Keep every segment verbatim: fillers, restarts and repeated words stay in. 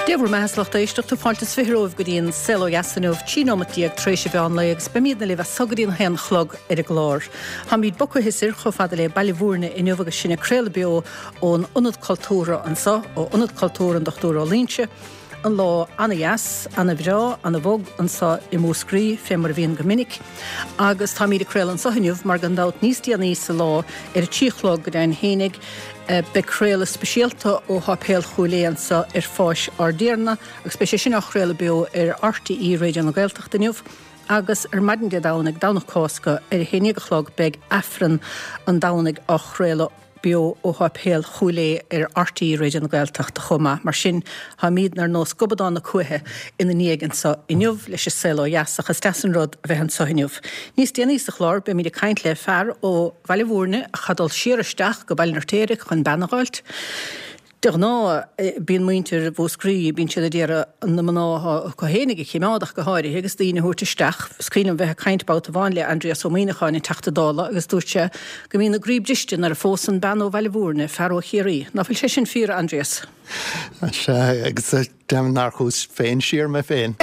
Dia bhur mbeatha a lucht éisteachta fáilte is fiche romhaibh go dtí an Saol Ó Dheas inniu trí nóiméad déag tar éis an mheán lae agus beimidne libh as so go dtí an haon a chlog ar an gclár. Táimid bogtha soir chomh fada le Baile Bhúirne inniu agus sinn ag craoladh beo ón Ionad Cultúrtha anseo ó Ionad Cultúrtha an Dochtúir Ó Loingsigh, An lá ana-dheas, ana-bhreá, ana-bhog anseo i Múscraí fé mar a bhíonn go minic, agus táimid ag craoladh anseo inniu mar gan dabht níos déanaí sa lá ar a trí a chlog go deimhin fhéinig beidh craoladh speisialta ó Sháipéal Chúil Aodha anseo ar Pháis ár dTiarna agus beidh sé sin á chraoladh beo ar RTÉ Raidió na Gaeltachta inniu agus ar maidin Dé Domhnaigh, Domhnach Cásca, ar a haon déag a chlog beidh Aifreann an Domhnaigh á chraoladh beo ó Sháipéal Chúil Aodha ar RTÉ Raidió na Gaeltachta chomh maith. Mar sin, táimidne ar nós gobadán na cuaiche ina ndiaidh anseo inniu leis an Saol Ó Dheas ach is deas an rud a bheith anseo inniu. Níos déanaí sa chlár beimid ag caint le fear ó Bhaile Bhúirne a chaith dul siar isteach go Baile an Fheirtéaraigh chun bean a dh'fháilt. De ghnáth, bíonn muintir Mhúscraí, bíonn siad ag iarraidh na mná atá acu fhéinig a chimeád ach go háirithe agus daoine a thabhairt isteach. Is cuimhin liom bheith ag caint babhta amháin le Aindrias Ó Muimhneacháin, an Teachta Dála, agus dúirt sé go mbíonn a gcroí briste nuair a phósann bean ó Bhaile Bhúirne fear ó Chiarraí. Ná fuil sé sin fíor, a Aindrias? Sea, agus deimhin nár chuas féin siar mé féin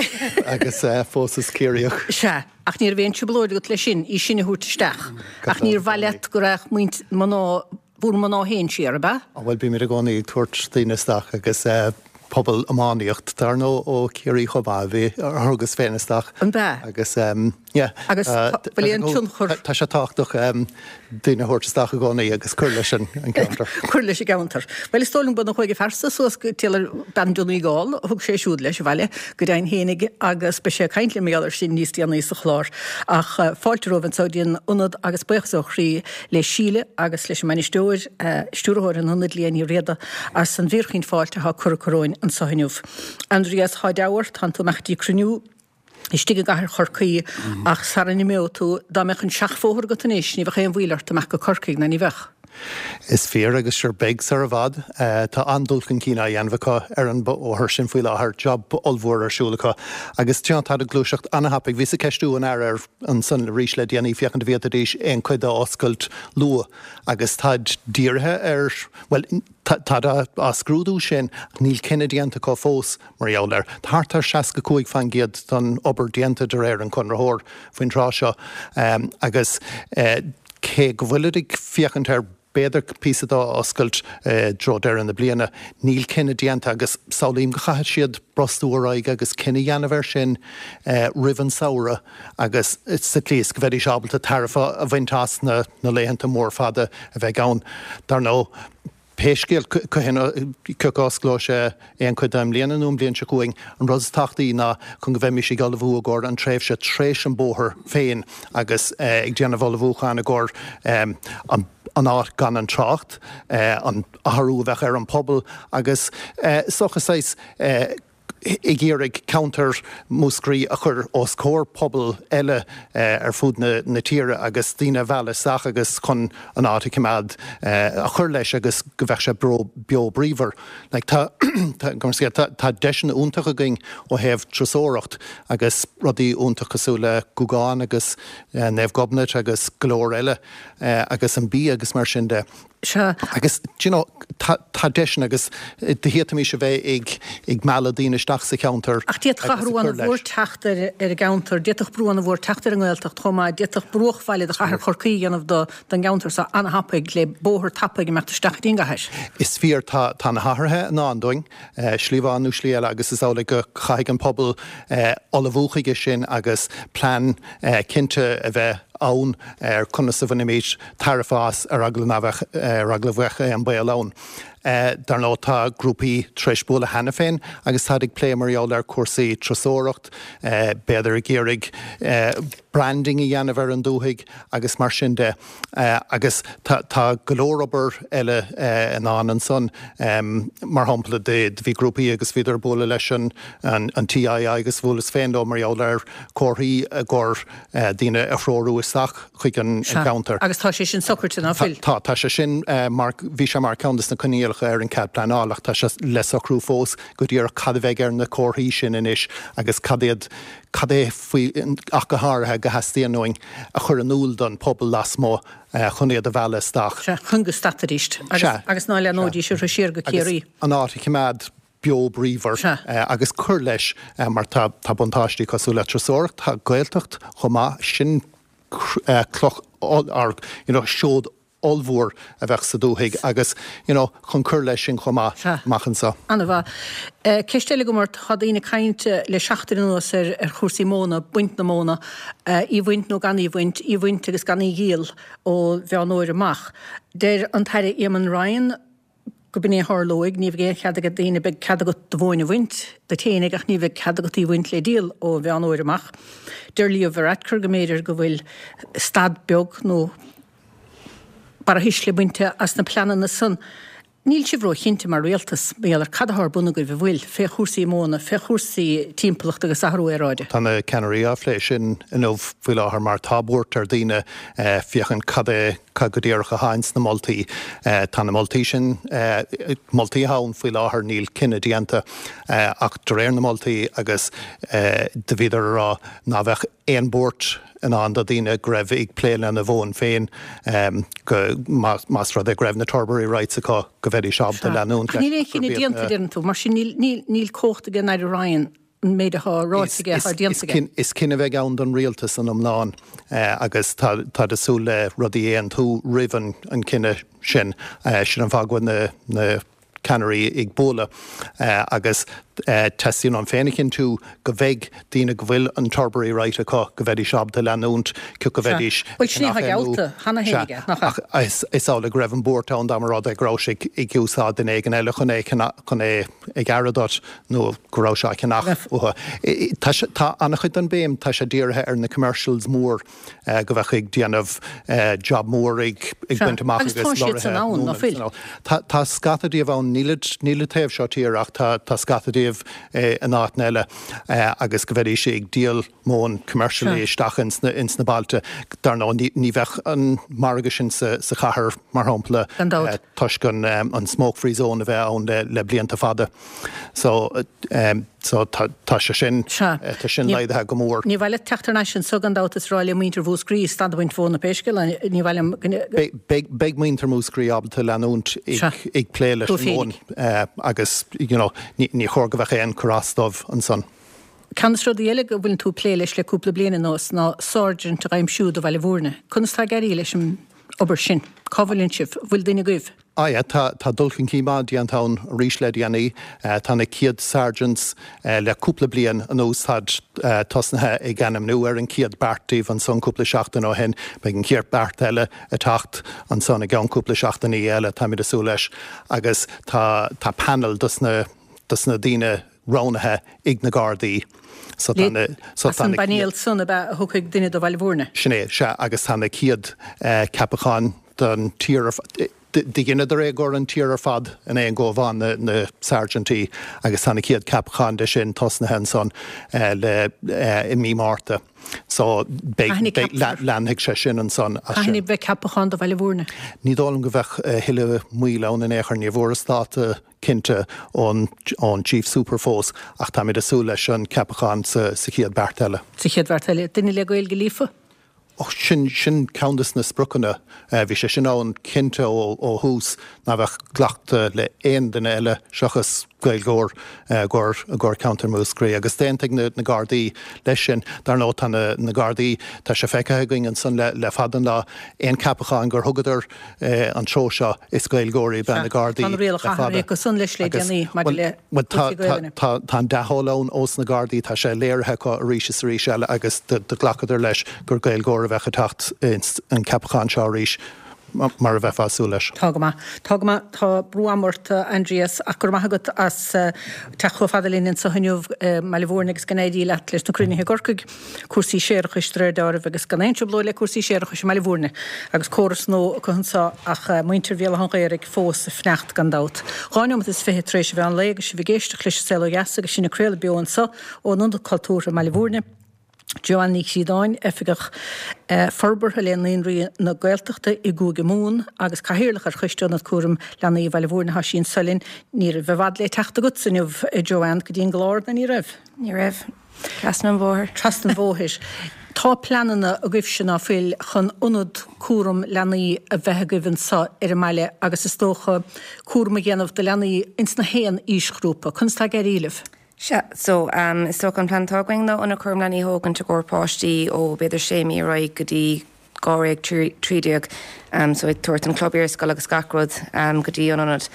agus phósas Ciarraíoch. Sea, ach ní raibh aon trioblóid agat leis sin, í sin a thabhairt isteach. Ach níor mhaith leat go raghadh muintir, mná, Bhur mná féin siar, ab ea? Bhuel, bímid i gcónaí ag tabhairt daoine isteach agus pobal iománaíocht, dar ndóigh, ó Chiarraí chomh maith, a bhí, a thugas féin isteach. An ea? Agus, yeah. Agus bhfuil aon tionchar? Tá sé tábhachtach daoine a thabhairt isteach i gcónaí agus cur leis an gceantar. Cur leis an gceantar. Bhuel, is dóigh liom go chuaigh a fearsa suas go Taylor bean Donegal, thug sé siúd leis abhaile go deimhin fhéinig agus beidh sé ag caint linn mar gheall air sin níos déanaí sa chlár. Ach fáilte romhaibh anseo dtí an ionad agus buíochas ó chroí le Síle agus leis an mbainisteoir, stiúrthóir an ionaid, Liadh Ní Riada, as an bhfíorchaoin fáilte atá curtha acu romhainn anseo inniu. Aindrias, thá deabhadh ort, tánn tú amach dtí cruinniú istigh i gcathair Chorcaí ach sara n-imeodh tú, dá mbeadh an seachbhóthar agat anois, ní bheadh aon mhoill ort amach go Corcaigh, ná ní bheadh? Is fíor agus sure beidh sar i bhfad. Tá an-dul chun cinn á dhéanamh acu ar an bhóthar sin faoi láthair, job ollmhór ar siúl acu agus you know táid ag gluaiseacht an-thapaidh. Bhíos ag ceistiú an Aire ar ansan arís le déanaí féachaint an bhféadfaidís aon chuid a oscailt luath agus táid dírithe ar, bhuel táid á scrúdú sin ach níl cinneadh déanta acu fós mar gheall air. Tá thart ar seasca cúig faoin gcéad den obair déanta de réir an conraitheoir faoin tráth seo agus cé go bhfuilid ag féachaint ar b'fhéidir píosa de a oscailt i dtreo deireadh na bliana, níl cinneadh déanta agus samhlaím go chaithfidh siad brostú ar aghaidh agus cinneadh a dhéanamh air sin roimh an samhradh agus sa tslí is go mbeidís ábalta tairbhe a bhaint as na laethanta mór fada a bheidh ann. Dar ndóigh, pé scéal cathain cé acu a osclóidh sé aon chuid de i mbliana nó an bhliain seo chugainn, an rud is tábhachtaí ná chun go bheimis ag ullmhú i gcomhair an tréimhse tar éis an bóthar féin agus ag déanamh ullmhúcháin i gcomhair an áit gan an trácht, an athrú a bheadh ar an pobal agus is dócha saghas ag iarraidh ceantar Mhúscraí a chur os comhair pobal eile ar fud na tíre agus daoine a mhealladh isteach agus chun an áit a choimeád, a chur leis agus go bheadh sé beo bríomhar. Like tá tá deiseanna iontach againn ó thaobh turasóireacht agus rudaí iontach cosúil le Gúgán agus Naomh Gobnait agus go leor eile agus an bia agus mar sin de. Sea. Agus, do you know, tá, tá deiseanna agus d'fhéadfaimis a bheith ag, ag mealladh daoine isteach sa cheantar Ach d'fhéadfadh agus ag athrú cur an-mhór leis. teacht ar, ar an gceantar, d'fhéadfadh brú an-mhór teacht ar an nGaeltacht chomh maith, d'fhéadfadh bruachbhaile de chathair Chorcaí a dhéanamh do, don gceantar so an-thapaidh le bóthar tapaidh imeacht isteach go dtí an gcathair. Is fíor, tá, tá na hathruithe i ndán dúinn, slí amháin nó slí eile agus is amhlaidh go chaithfidh an pobal ullmhú chuige sin agus plean cinnte a bheith ann ar conas a bhainfimid tairbhe as ar eagla ná bheadh, ar eagla bheadh aon baol ann. Dar ndóigh tá grúpaí tar éis bualadh cheana féin agus táid ag plé mar gheall ar cúrsaí turasóireacht, b'fhéidir ag iarraidh branding a dhéanamh ar an dúthaigh agus mar sin de. Agus tá, tá go leor obair eile i ndán ansan. Mar shampla do bhí grúpaí agus bhíodar ag bualadh leis an, an TII agus bhuaileas féin leo mar gheall ar comharthaí i gcomhair daoine a threorú isteach chuig an Sea. gceantar. Agus tá sé sin socraite, ná fuil? Tá, tá sé sin mar, bhí sé mar ceann de na coinníollacha ar an cead pleanála ach tá sé le socrú fós go díreach cad a bheidh ar na comharthaí sin anois agus cad iad, cad é faoi, ach go háirithe, go theastaíonn uainn a chur in iúl don pobal lasmuigh chun iad a mhealladh isteach. Sea, chun go stadfaidís agus, Sea. agus ná leathnóidís orthu siar go Agus Ciarraí. an áit a choimeád. beo bríomhar agus cur leis mar tá tá buntáistí cosúil le turasóireacht, tá Gaeltacht chomh maith sin cloch or you know seod ollmhór a bheadh sa dúthaigh agus you know chun cur leis sin chomh maith amach anseo. An-mhaith. Ceist eile agam ort, tá daoine ag caint le seachtain anuas ar ar chúrsaí móna, baint na móna, í bhaint nó gan í bhaint, í bhaint agus gan í dhíol ó Mheán Fhómhair amach. Deir an tAire Eamon Ryan go b'in é a tharlóidh, ní bheidh aon chead ag daoine, beidh cead agat do mhóin a bhaint duit fhéinig ach ní bheidh cead agat í a bhaint le díol ó Mheán Fhómhair amach. Deir Leo Varadkar go mb'fhéidir go bhfuil stad beag nó barrathuisle bainte as na pleananna san. Níl sibh ró-chinnte mar rialtas, mar gheall ar cad atá ar bun agaibh, an bhfuil, fé chúrsaí móna, fé chúrsaí timpeallachta agus athrú aeráide. Tá na ceannairí á phlé sin inniu faoi láthair mar tá buairt ar daoine féachaint cad é cad go díreach atá ins na moltaí. Tá na moltaí sin, moltaí atá ann faoi láthair, níl cinneadh déanta ach de réir na moltaí agus do bhíodar a rá ná bheadh aon buairt i ndán do daoine go raibh ag plé lena mhóin féin go más rud é go raibh na turbary rights acu go bheidís ábalta leanúint leis. Níl aon chinneadh déanta, deireann tú, mar sin níl cumhacht ag an Aire Ryan an méid atá ráite aige atá déanta aige. Is cinneadh a bheidh ann don rialtas san iomlán agus táid ag súil le rudaí a aontú roimh an cinneadh sin. Sin an fáth go bhfuil na ceannairí ag bualadh agus teastaíonn uaim féin a chinntiú go bheidh daoine go bhfuil an turbary right acu go bheidís ábalta leanúint cioca go bheidís Bhuel sin é atá geallta cheana féin aige, nach ea? Ach is amhlaidh go raibh an buairt ann dá mba rud é go raibh sé ag úsáid duine éigin eile chun é chun é a ghearradh duit nó go raibh sé á cheannach uathu. Tá an-chuid den béim, tá sé dírithe ar na commercials mór go bheadh ag déanamh job mór ag baint amach agus tá siad san ann, ná fuil? Tá scata díobh ann, nílid nílid taobh seo tíre ach tá tá scata díobh in áiteanna eile agus go bheidís ag díol móin commercially isteach ins na ins na bailte. Dar ndóigh ní ní bheadh an margadh sin sa sa chathair mar shampla toisc an an smoke free zone a bheith ann le le blianta fada. So So tá tá sé sin Sea. tá sin Ní laghdaithe go mór. ní mhaith leat teacht thar n-ais anso gan dabht is rá le muintir Mhúscraí stad a bhaint mhóna pé scéal é, ní mhaith liom go Beidh beidh beidh muintir Mhúscraí ábalta leanúint Sea. ag ag plé leis Dóibh an móin féinig. eh, agus you know ní ní chóir go bheadh aon cur as dóibh ansan. Ceann de na rudaí eile go bhfuileann tú ag plé leis le cúpla bliain anuas ná sáirsint a dh'aimsiú do Bhaile Bhúirne. Conas tá ag éirí leis an obair sin? Cá bhfuileann sibh? Bhfuil duine agaibh? Ah yeah, tá tá dul chun cinn maith déanta ann arís le déanaí. Tá na chéad sergeants le cúpla bliain anuas táid tosnaithe ag ainmniú ar an chéad beart díobh ansan cúpla seachtain ó shin. Beidh an chéad beart eile ag teacht ansan i gceann cúpla seachtainí eile, táimid ag súil leis. Agus tá tá panel dos na dos na daoine roghnaithe ag na Gardaí. So tá na so As tá an na bpainéal san ab ea a thiocfaidh duine do Bhaile Bhúirne? Sin é, sea, agus tá na chéad ceapacháin don tír ar fad, do dheineadar é i gcomhair an tír ar fad in aon gho amháin, na na sáirsintí, agus tá na chéad ceapacháin de sin tosnaithe ansan le i mí Márta. So beidh Cathain a beidh ceapfar? leanfaidh sé sin ansan as Cathain sin. a bheidh ceapachán do Bhaile Bhúirne? Ní dóigh liom go bheadh a thuilleadh moill ann in aon chor, ní bhfuarthas dáta cinnte ón ón Chief Super fós ach táimid ag súil leis an ceapachán sa sa chéad beart eile. Sa chéad bheart eile. Duine le Gaeilge líofa? Och, sin, sin ceann des na spriocanna. Bhí sé sin ann cinnte ó, ó thús, ná bheadh glactha le aon duine eile seachas Gaeilgeoir i gcomhair, i gcomhair ceantar Mhúscraí. Agus d'aontaigh na, na Gardaí leis sin. Dar ndóigh tá na, na Gardaí, tá sé feicthe againn ansan le, le fada an lá, aon ceapachán gur thugadar an treo seo, is Gaeilgeoirí ab ea na Gardaí Tá na le rialacha fada. athraithe acu san leis le Agus, déanaí maidir bhuel, le bhuel, tá, cúrsaí tá, Gaelainne. tá, tá an dea-thoil ann ós na Gardaí, tá sé léirithe acu arís is arís eile agus do, do ghlacadar leis gur Gaeilgeoir a bheadh ag teacht ins an ceapachán seo arís, mar a bheifeá ag súil leis. Tá go maith. Tá go maith. Tá brú ama ort, a Aindrias, ach go raibh maith agat as teacht chomh fada linn anseo inniu i mBaile Bhúirne agus go n-éirí leat leis na cruinnithe i gCorcaigh, cúrsaí séarachais de réir dealraimh agus gan aon trioblóid le cúrsaí séarachais i mBaile Bhúirne agus córas nua acu anseo ach muintir Bhéal Átha an Ghaorthaidh fós ag fanacht gan dabht. Dhá neomat is fiche tar éis an mheán lae agus sibh ag éisteacht leis an Saol Ó Dheas agus sinn ag craoladh beo anseo ón Ionad Cultúrtha i mBaile Bhúirne. Joanne Ní Chríodáin, Oifigeach Forbartha le Naíonraí na Gaeltachta i gCúige Mumhan agus Cathaoirleach ar Choiste Ionad Cúraim Leanaí Bhaile Bhúirne, tá sí anseo linn. Ní raibh i bhfad le teacht agatsa inniu, a Joanne, go dtí an gclár, nó ní raibh? Ní raibh. Trasna an bhóthair. Trasna an bhóthair. Tá pleananna agaibhse ná fuil chun ionad cúram leanaí a bheith agaibh anseo ar an mbaile agus is dócha cúram a dhéanamh do leanaí ins na haon aoisghrúpa. Conas tá ag éirí libh? Sea, so um, is dócha an plean atá againn ná ionad cúram leanaí a thógaint i gcomhair páistí ó b'fhéidir sé mí ar aghaidh go dtí dháréag trí déag, um, so ag tabhairt an club iarscoile agus gach rud um, go dtí an ionad.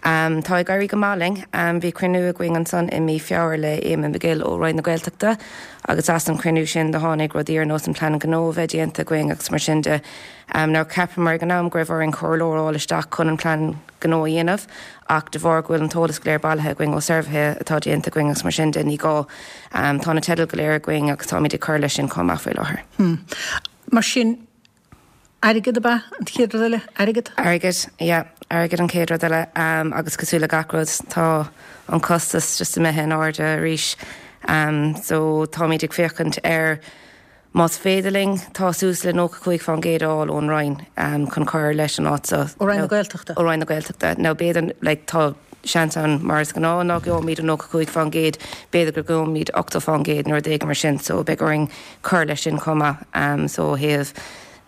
Um, tá ag éirí go maith linn, um, bhí cruinniú againn ansan i mí Feabhra le Eamon McGill ó Roinn na Gaeltachta agus as an cruinniú sin do tháinig rudaí ar nós an plean gnó a bheith déanta againn agus mar sin de. Um, now cheapamar ag an am go raibh orainn comhairleoir a fháil isteach chun an plean gnó a dhéanamh ach de bharr go bhfuil an t-eolas go léir bailithe againn ó suirbhéithe atá déanta againn agus mar sin de ní gá. Um, tá na teidil go léir againn agus táimid ag cur leis sin chomh maith faoi láthair. Hmm. Mar sin airgead ab ea an chéad rud eile? Airgead? Airgead, yeah, airgead an chéad rud eile um, agus cosúil le gach rud tá an costas just imithe in airde arís. Um, so táimid ag féachaint ar más féidir linn tá suas le nócha cúig faoin gcéad a fháil ón Roinn um, chun cur leis an áit seo. Ó Roinn na Gaeltachta? Ó Roinn na Gaeltachta. Now b'fhéidir like, tá seans ann mar is gnáth nach gheobhaimid an nócha cúig faoin gcéad, b'fhéidir go gheobhaimid ochtó faoin gcéad nó rud éigin mar sin, so beidh orainn cur leis sin chomh maith. Um, so thaobh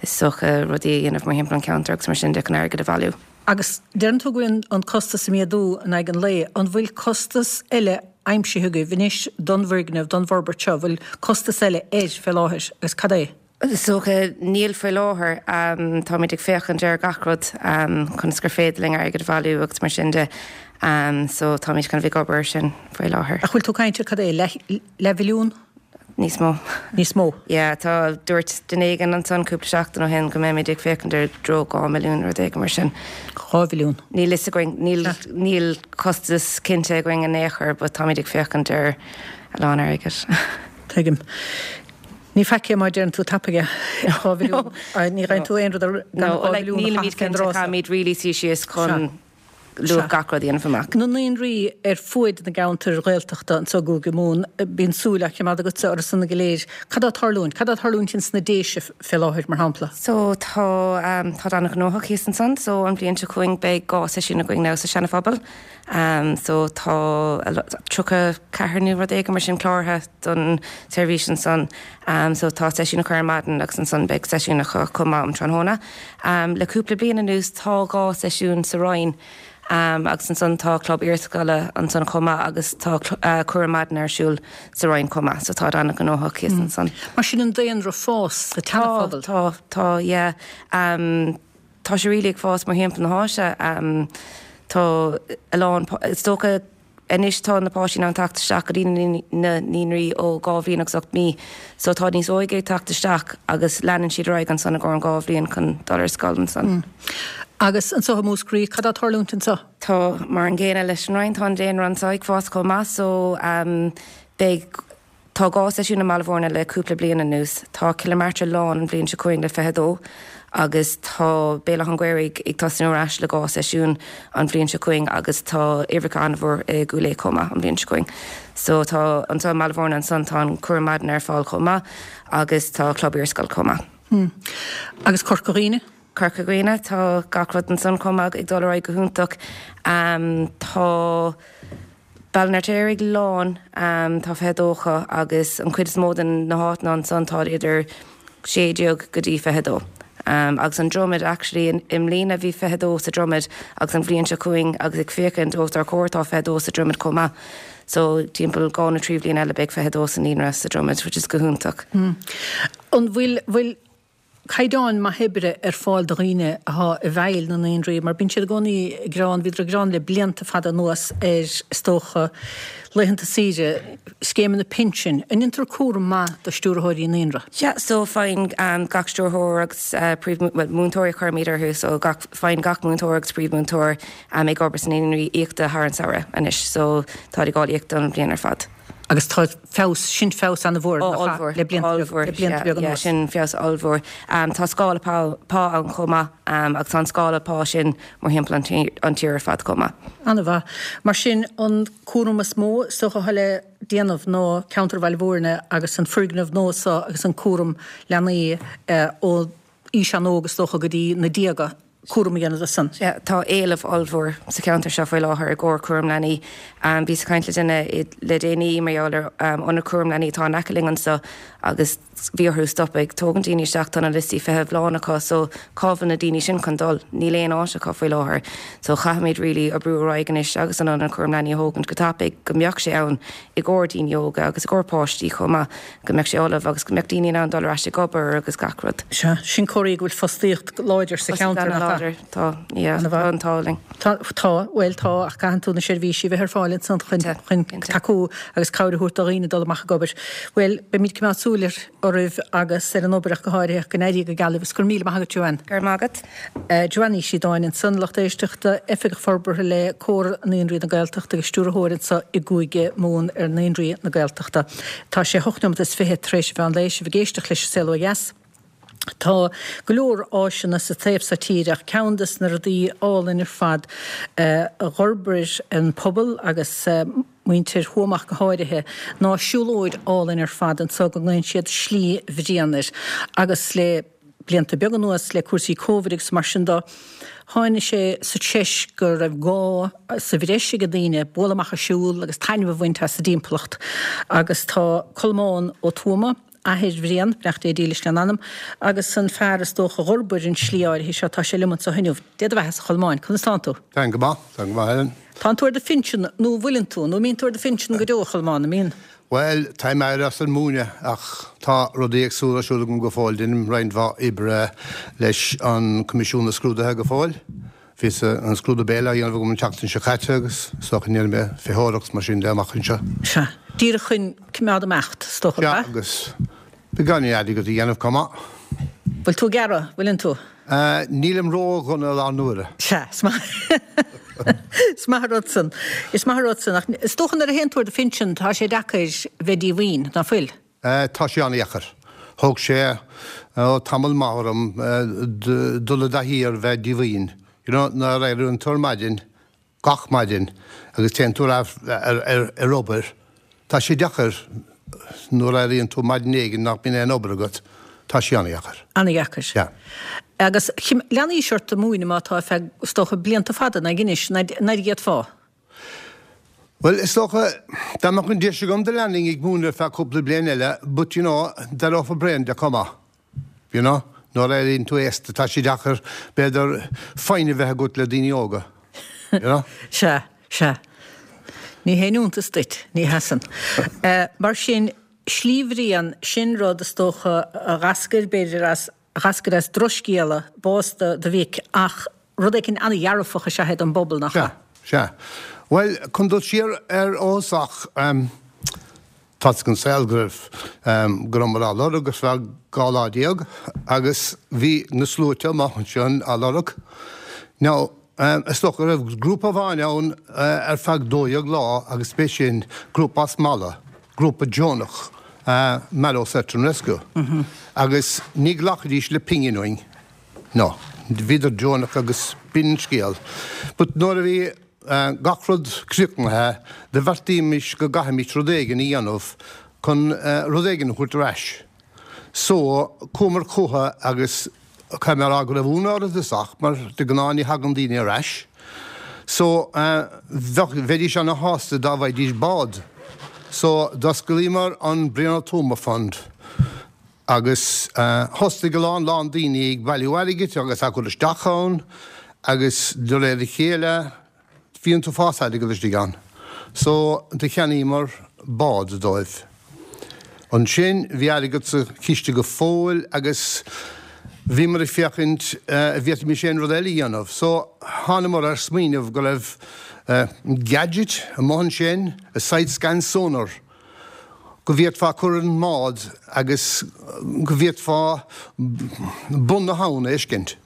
is dócha rudaí a dhéanamh mar thimpeall an ceantar agus mar sin de chun airgead a bhailiú. Agus deireann tú go bhfuil an costas ag méadú in aghaidh an lae, an bhfuil costas eile aimsithe agaibh anois don bhfoirgneamh, don bhforbairt seo, bhfuil costas eile air fé láthair agus cad é? Is dócha níl faoi láthair, um, táimid ag féachaint ar gach rud um, chun gur féidir linn airgead a bhailiú agus mar sin de. Um, so táimid chun bheith ag obair sin faoi láthair. Ach bhfuil tú ag caint ar cad é, leathmhilliún? Níos mó. Níos mó? Yeah, tá dúirt duine éigin ansan cúpla seachtain ó shin go mbeimid ag féachaint ar dtreo dhá milliún rud éigin mar sin. Dhá mhilliún? Níl fhios againn, níl, níl costas cinnte againn in aon chor, but táimid ag féachaint ar a lán airgid. Tuigim. Ní faic é má deireann tú tapaidh é, dhá mhilliún. Ní gheibheann tú aon rud ar gan dhá mhilliún a Nílimid chaitheamh fén cinnte, dtráth seo. caithfimid really suí síos chun luach gach rud a dhéanamh amach. Na naíonraí ar fuaid na gceantar Ghaeltachta anseo i gCúige Mumhan, bíonn súil á choimeád agatsa orthu go léir. Cad á tarlúint? Cad á tarlúint ins na Déise fé láthair mar shampla? So tá um, tá an-ghnóthach thíos ansan, so an bhliain seo chugainn beidh dhá seisiún againn now sa Seana-Phobal. Um, so tá tríocha ceathair nó rud éigin mar sin cláraithe don seirbhís ansan. Um, so tá seisiún acu ar maidin agus ansan beidh seisiún acu chomh maith um tráthnóna. Um, le cúpla bliain anuas tá dhá seisiún sa Rinn. Um, agus ansan tá club iarscoile ansan chomh maith agus tá uh, cúram maidin ar siúl sa Rinn chomh maith, so tá an-ghnóthach thíos mm. ansan. Mar sin an daonra fás sa tSeana-Phobal? Tá, tá, yeah. Um, tá sé really ag fás mar thimpeall na háite. Um, tá a lán, is dócha anois tá na páistí ag teacht isteach go dtí na naíonraí ó dhá bhliain agus ocht mí, so tá níos óige ag teacht isteach agus leanann siad ar aghaidh ansan i gcomhair an dhá bhliain chun dul ar scoil ansan. Mm. Agus anseo i Múscraí, cad á tarlúint anseo? Tá mar an gcéanna leis an Rinn, tá an daonra anseo ag fás chomh maith, so um, beidh tá dhá seisiún i mBaile Bhúirne le cúpla bliain anuas. Tá Cill na Martra lán an bhliain seo chugainn le fiche dó, agus tá Béal Átha an Ghaorthaidh ag tosnú ar ais le dhá seisiún an bhliain seo chugainn agus tá uimhreacha an-mhór i gCúil Aodha chomh maith an bhliain seo chugainn. So tá anseo i mBaile Bhúirne ansan tá an cúram maidin ar fáil chomh maith agus tá club iarscoile chomh maith. Hmm. Agus Corca Dhuibhne? Corca Dhuibhne, tá gach rud ansan chomh maith ag dul ar aghaidh go hiontach. Um, tá Baile an Fheirtéaraigh lán, um, tá fiche dó acu agus an chuid is mó den na háiteanna ansan tá idir sé déag go dtí fiche dó. Um, agus an Dromad actually in, i mbliana bhí fiche dó sa Dromad agus an bhliain seo chugainn agus ag féachaint os ár gcomhair tá fiche dó sa Dromad chomh maith. So timpeall dhá nó trí bhliain eile beidh fiche dó sa naíonra sa Dromad, which is go hiontach. Mm. An bhfuil bhfuil caighdeán maith oibre ar fáil do dhaoine atá i bhfeighil na naíonraí, mar bíonn siad i gcónaí ag gearán, bhíodar ag gearán le blianta fada anuas ar is dócha laethanta saoire, scéimeanna pinsin, an ndéantar cúram maith do stiúrthóirí naíonra? Yeah, so faigheann um, gach stiúrthóir agus uh, príomh well, múinteoirí a chuirimid orthu, so gach, faigheann gach múinteoir agus príomhmhúinteoir um, ag obair san naíonraí íoctha thar an samhradh anois, so tá ag fáil íoctha an bhliain ar fad. Agus tá feabhas, sin feabhas an-mhór le blianta beaga anuas. Sin feabhas ollmhór. Um, tá scála pá, pá ann chomh maith um, agus tá an scála pá sin mar thimpeall an tír, an tír ar fad chomh maith. An-mhaith. Mar sin an cúram is mó is dócha atá le déanamh ná ceantar Bhaile Bhúirne agus an foirgneamh nua seo agus an cúram leanaí uh, ó aois an-óg is dócha go dtí na déaga. cúram a dhéanamh de san. Sea, tá éileamh ollmhór sa cheantar seo faoi láthair i gcomhair cúram leanaí. Bhíos ag caint le duine le déanaí mar gheall ar ionad cúram leanaí atá in aice linn anseo agus bhí orthu stop ag tógaint daoine isteach, tá na liostaí feithimh lán acu so cá bhfuil na daoine sin chun dul? Níl aon áit acu faoi láthair. So caithfimid really oibriú ar aghaidh anois agus an ionad cúram leanaí a thógaint go tapaidh go mbeadh sé ann i gcomhair daoine óga agus i gcomhair páistí chomh maith, go mbeadh sé ullamh agus go mbeadh daoine in ann dul ar ais ag obair agus gach rud. Sea, sin comhartha go bhfuil fostaíocht láidir sa cheantar, nach ea? Láidir, tá, yeah, tá an t-ádh linn. Tá, tá, bhuel tá, ach caitheann tú na seirbhísí a bheith ar fáil ansan chun, chun tacú agus cabhair a thabhairt do dhaoine dul amach ag obair. Bhuel, beimid ag coimeád súil ar, oraibh agus ar an obair ach go háirithe, go n-éirí go geal libh agus go raibh míle maith agat, Joanne. Go raibh maith agat. Joanne Ní Shíodáin ansan, lucht éisteachta, Oifigeach Forbartha le Comhar Naíonraí na Gaeltachta agus Stiúrthóir anso i gCúige Mumhan ar Naíonraí na Gaeltachta. Tá sé hocht nóiméad is fiche tar éis an mheán lae, sibh ag éisteacht leis An Saol Ó Dheas. Tá go leor áiseanna sa taobh so tíre ach ceann des na rudaí álainn ar fad a dh'fhorbair an pobal agus muintir Thuama ach go háirithe ná siúlóid álainn ar fad anso go nglaonn siad Slí Bhriain air agus le blianta beaga anuas le cúrsaí Covid agus mar sin do tháinig sé sa treis go raibh gá sa bhreis ag daoine bualadh amach ag siúl agus taitneamh a bhaint as a dtimpeallacht agus tá Colmán Ó Tuama, athair Bhriain, beannacht Dé dílis lena anam, agus an fear is dócha a dh'fhorbair an slí áirithe seo, tá sé liom anso inniu. Dé do bheatha-sa, a Cholmáin, conas tánn tú? Táim go maith, táim go maith, Helen. Tánn tú ar do phinsean, nó an bhfuileann tú, nó an mbíonn tú ar do phinsean go deo, a Cholmáin, an mbíonn? Bhuel, táim éirithe as an múineadh ach tá rudaí éagsúla ar siúl agam go fóill, deinim roinnt mhaith oibre leis an Coimisiún na Scrúduithe go fóill. Bhí an scrúdú béil á dhéanamh agam an tseachtain seo caite agus is dócha go ndéanfaidh mé feitheoireacht mar sin de amach anseo. Sea. Díreach chun coimeád imeacht, is dócha, ab ea? Sea, agus beagáinín airgead a dhéanamh chomh maith. Bhfuil tú ag gearradh, bhfuileann tú? Nílim ró-dhona i láthair na huaire. Sea, is maith. Is maith an rud san. Is maith an rud san. Ach is dócha nuair a théann tú ar do phinsean, tá sé deacair bheith díomhaoin, ná fuil? Tá sé an-dheacair. Thóg sé tamall maith orm dul i dtaithí ar bheith díomhaoin. You know, nuair a éiríonn tú ar maidin, gach maidin, agus téann tú ar ar obair, tá sé deacair nuair a éiríonn tú maidin éigin nach mbíonn aon obair agat, tá sé an-dheacair. An-dheacair. Yeah. Agus leanfaís ort ag múineadh má tá ar feadh, is dócha, blianta fada, ná anois, n'fheadar an bhféadfá? Bhuel, is dócha, dá mbeadh an deis agam do leanfainn ag múineadh ar feadh cúpla bliain eile, but you know, d'éireofá bréan de chomh maith, you know, nuair a éiríonn tú aosta, tá sé deacair, b'fhéidir, foighne a bheith agat le daoine óga, you know. Sea, sea. Ní haon iontas duit, ní hea san. Mar sin, Slí Bhriain, sin rud is dócha a dh'eascair, b'fhéidir, as, a dh'eascair as drochscéala, bás do, do mhic, ach rud éicint an-dhearfach is ea é don bpobal, nach ea? Sea, sea. Bhuel, chun dul siar ar ó thosach, tá a fhios ag an saol go raibh, go rabhamar á lorg ar feadh dhá lá déag agus bhí na sluaite amuigh ansin á lorg. Now, is dócha go raibh grúpa amháin ann ar feadh dó dhéag lá agus b'é sin grúpa as Mala, grúpa deonach, Mallow Search and Rescue, agus ní ghlacfaidís le pingin uainn. No, bhíodar deonach agus b'in an scéal. But nuair a bhí gach rud críochnaithe, do bheartaímis go gcaithfimis rud éigin a dhéanamh chun rud éigin a thabhairt ar ais. So, chuamar chucu agus caithfidh mé a rá go raibh ionadh orthu i dtosach mar de ghnáth ní thagann daoine ar ais. So, bheadh, bheidís ana-shásta dá bhfaighidís bád. So, d'osclaíomar an Brian Ó Tuama Fund. Agus thosaigh a lán lán daoine ag bailiú airgid agus á chur isteach ann agus de réir a chéile bhí an t-uafás airgead istigh ann. So do cheannaíomar bád dóibh. Ansin bhí airgead sa chiste go fóill agus bhíomar ag féachaint an bhféadfaimis aon rud eile a dhéanamh. So thánamar ar smaoineamh go raibh gadget amuigh ansin, a side scan sonar, go bhféadfá cur ar an mbád agus go bhféadfá bun na habhann a fheiscint.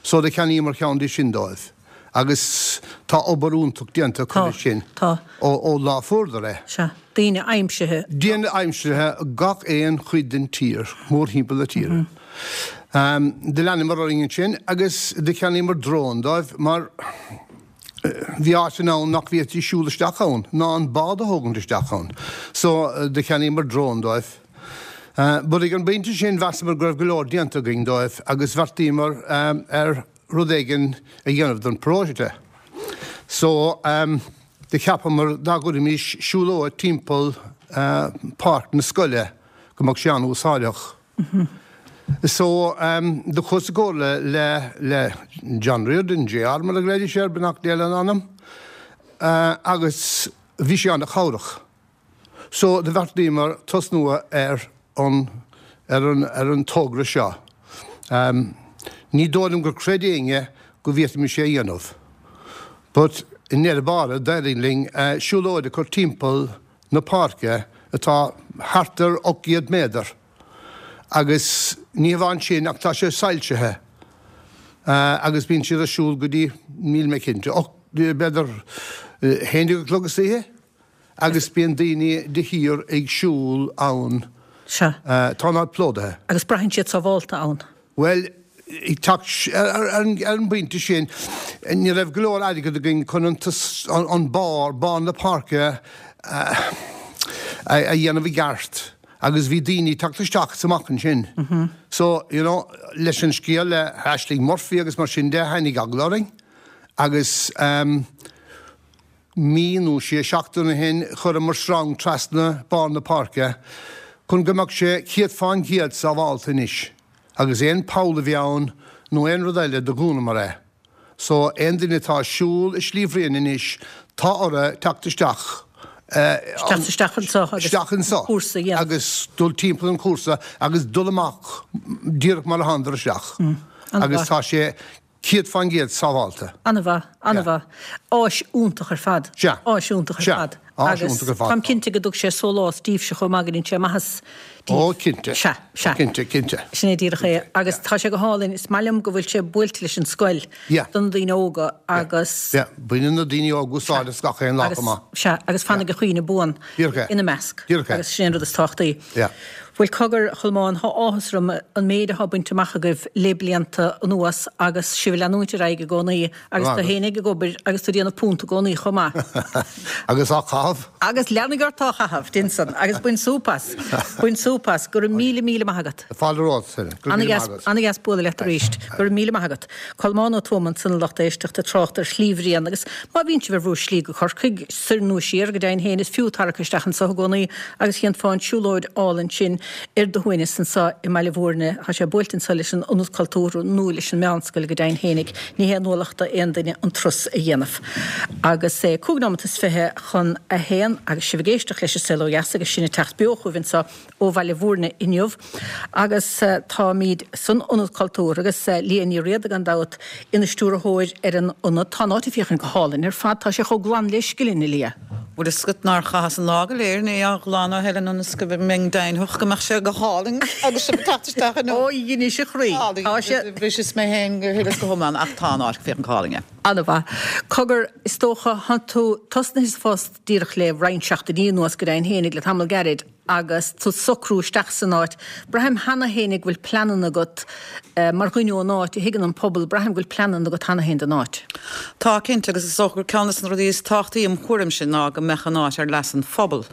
So do cheannaíomar ceann de sin dóibh agus tá obair iontach déanta acu leis sin ó lá a fuaireadar é. Sea, daoine aimsithe. Daoine aimsithe gach aon chuid den tír, mórthimpeall na tíre. Do leanamar orainn ansin agus do cheannaíomar drón dóibh mar Bhí áiteanna ann nach bhféadfaí siúl isteach ann, ná an bád a thógaint isteach ann. So, do cheannaíomar drón dóibh. But ag an bpointe sin, mheasamar go raibh go leor déanta againn dóibh agus bheartaíomar ar rud éigin a dhéanamh don paróiste. So um, do cheapamar dá gcuirfimis siúlóid timpeall uh, páirc na scoile go mbeadh sé an-úsáideach. Mm -hmm. So um, do chuas i gcomhairle le, le John Riordan, J R mar a ghlaoidís air, beannacht Dé lena anam, uh, agus bhí sé an-chabhrach. So do bheartaíomar tosnú ar an, ar an, ar an togra seo. Um, ní dóigh liom gur chreid éinne go bhféadfaimis é a dhéanamh. But i ndeireadh báire d'éirigh linn uh, siúlóid a chur timpeall na páirce atá thart ar ocht gcéad méadar. Agus ní hamháin sin ach tá sé soilsithe. Uh, agus bíonn siad ar siúl go dtí, níl mé cinnte, b'fhéidir haon déag a chlog istoíche, agus bíonn daoine de shíor ag siúl ann. Sea. Uh, tá an áit plódaithe. Agus braitheann siad sábhálta ann. Well, ar an bpointe sin, ní raibh go leor airgead againn chun an barr, barr na páirce a dhéanamh i gceart. Agus bhí daoine teacht isteach is amach ansin. So, you know, leis an scéal le hAshling Murphy agus mar sin de, tháinig eagla orainn. Agus um, mí nó sé seachtain ó shin chuireamar srang trasna barr na páirce chun go mbeadh sé céad fán gcéad sábháilte anois. Agus aon poll a bhí ann nó aon rud eile do dhúnamar é. So aon duine atá ag siúl i Sliabh Bhriain anois tá orthu teacht isteach. Teacht isteach anseo agus isteach anseo cúrsa a dhéanamh. Agus dul timpeall an chúrsa agus dul amach díreach mar a thánadar isteach. Agus tá sé céad fán gcéad sábháilte. An-mhaith, an-mhaith. Áis iontach ar fad. Sea. Áis iontach ar Sea. fad. Áis Agus iontach ar fad. Táim cinnte go dtug sé sólás daoibhse chomh maith go ndéan sé maitheas daoibh. Ó, cinnte. Sea, sea. Cinnte, cinnte. Sin é díreach é. Agus tá sé go hálainn, is maith liom go bhfuil sé buailte leis an scoil Yeah. do na daoine óga agus Yeah, baineann na daoine óga úsáid as gach aon lá agus chomh maith. sea, agus fanfaidh a chuimhne buan Díreach é. ina measc. Díreach é. Agus sin an rud is tábhachtaí. Yeah. Bhuel cogar, a Cholmáin, tá áthas orm an méid atá bainte amach agaibh le blianta anuas agus sibh ag leanúint ar aghaidh i gcónaí agus tú fhéinig ag obair agus tú ag déanamh punt i gcónaí chomh maith. Agus á chaitheamh. Agus leanfaidh ort á chaitheamh, déan san, agus bain súp as. Bain súp as. Go raibh míle míle maith agat. Fáilte romhat, Helen. Go raibh míle maith agat. Ana-dheas bualadh leat arís. Go raibh míle maith agat. Colmán Ó Tuama ansan a lucht éisteachta ag trácht ar Shlí Bhriain agus má bhíonn sibh ar bhur slí go Corcaigh, soir nó siar, go deimhin féin is fiú tarrac isteach anso i gcónaí agus dhéanfá an siúlóid álainn sin ar do shuaimhneas anso i mBaile Bhúirne. Tá sé buailte anso leis an Ionad Cultúrtha nó leis an Meánscoil go deimhin fhéinig. Ní haon ualach do aon duine an turas a dhéanamh. Agus é cúig nóimeat is fiche chun a haon agus sibh ag éisteacht leis an Saol Ó Dheas agus sinn ag teacht beo chugaibh anso ó Bhaile Bhúirne inniu. Agus táimid san Ionad Cultúrtha agus Liadh Ní Riada gan dabht ina stiúrthóir ar an ionad. Tá an áit ag féachaint go hálainn ar fad, tá sé chomh glan le scilling, a Liadh. Bhfuil a fhios agat nár chaitheas an lá go léir ní á ghlanadh Helen ionas go mbeinn deimhneach go mbeadh sé go hálainn agus sibh ag teacht isteach inniu. Ó, dheinis a chroí. Tá sé. Bhriseas mé féin go huile is go hiomlán ach tá an áit ag féachaint go hálainn, yeah. An-mhaith. Cogar, is dócha, thánn tú tosnaithe sa phost díreach le roinnt seachtainí anuas go deimhin fhéinig le tamall gairid agus tú ag socrú isteach san áit. Braithim cheana fhéinig go bhfuil pleananna agat mar dhuine ón áit, a thuigeann an pobal, braithim go bhfuil pleananna agat cheana féin don áit. Tá, cinnte, agus is dócha gur ceann de na rudaí is tábhachtaí im thuairimse ná go mbeadh an áit ar leas an phobail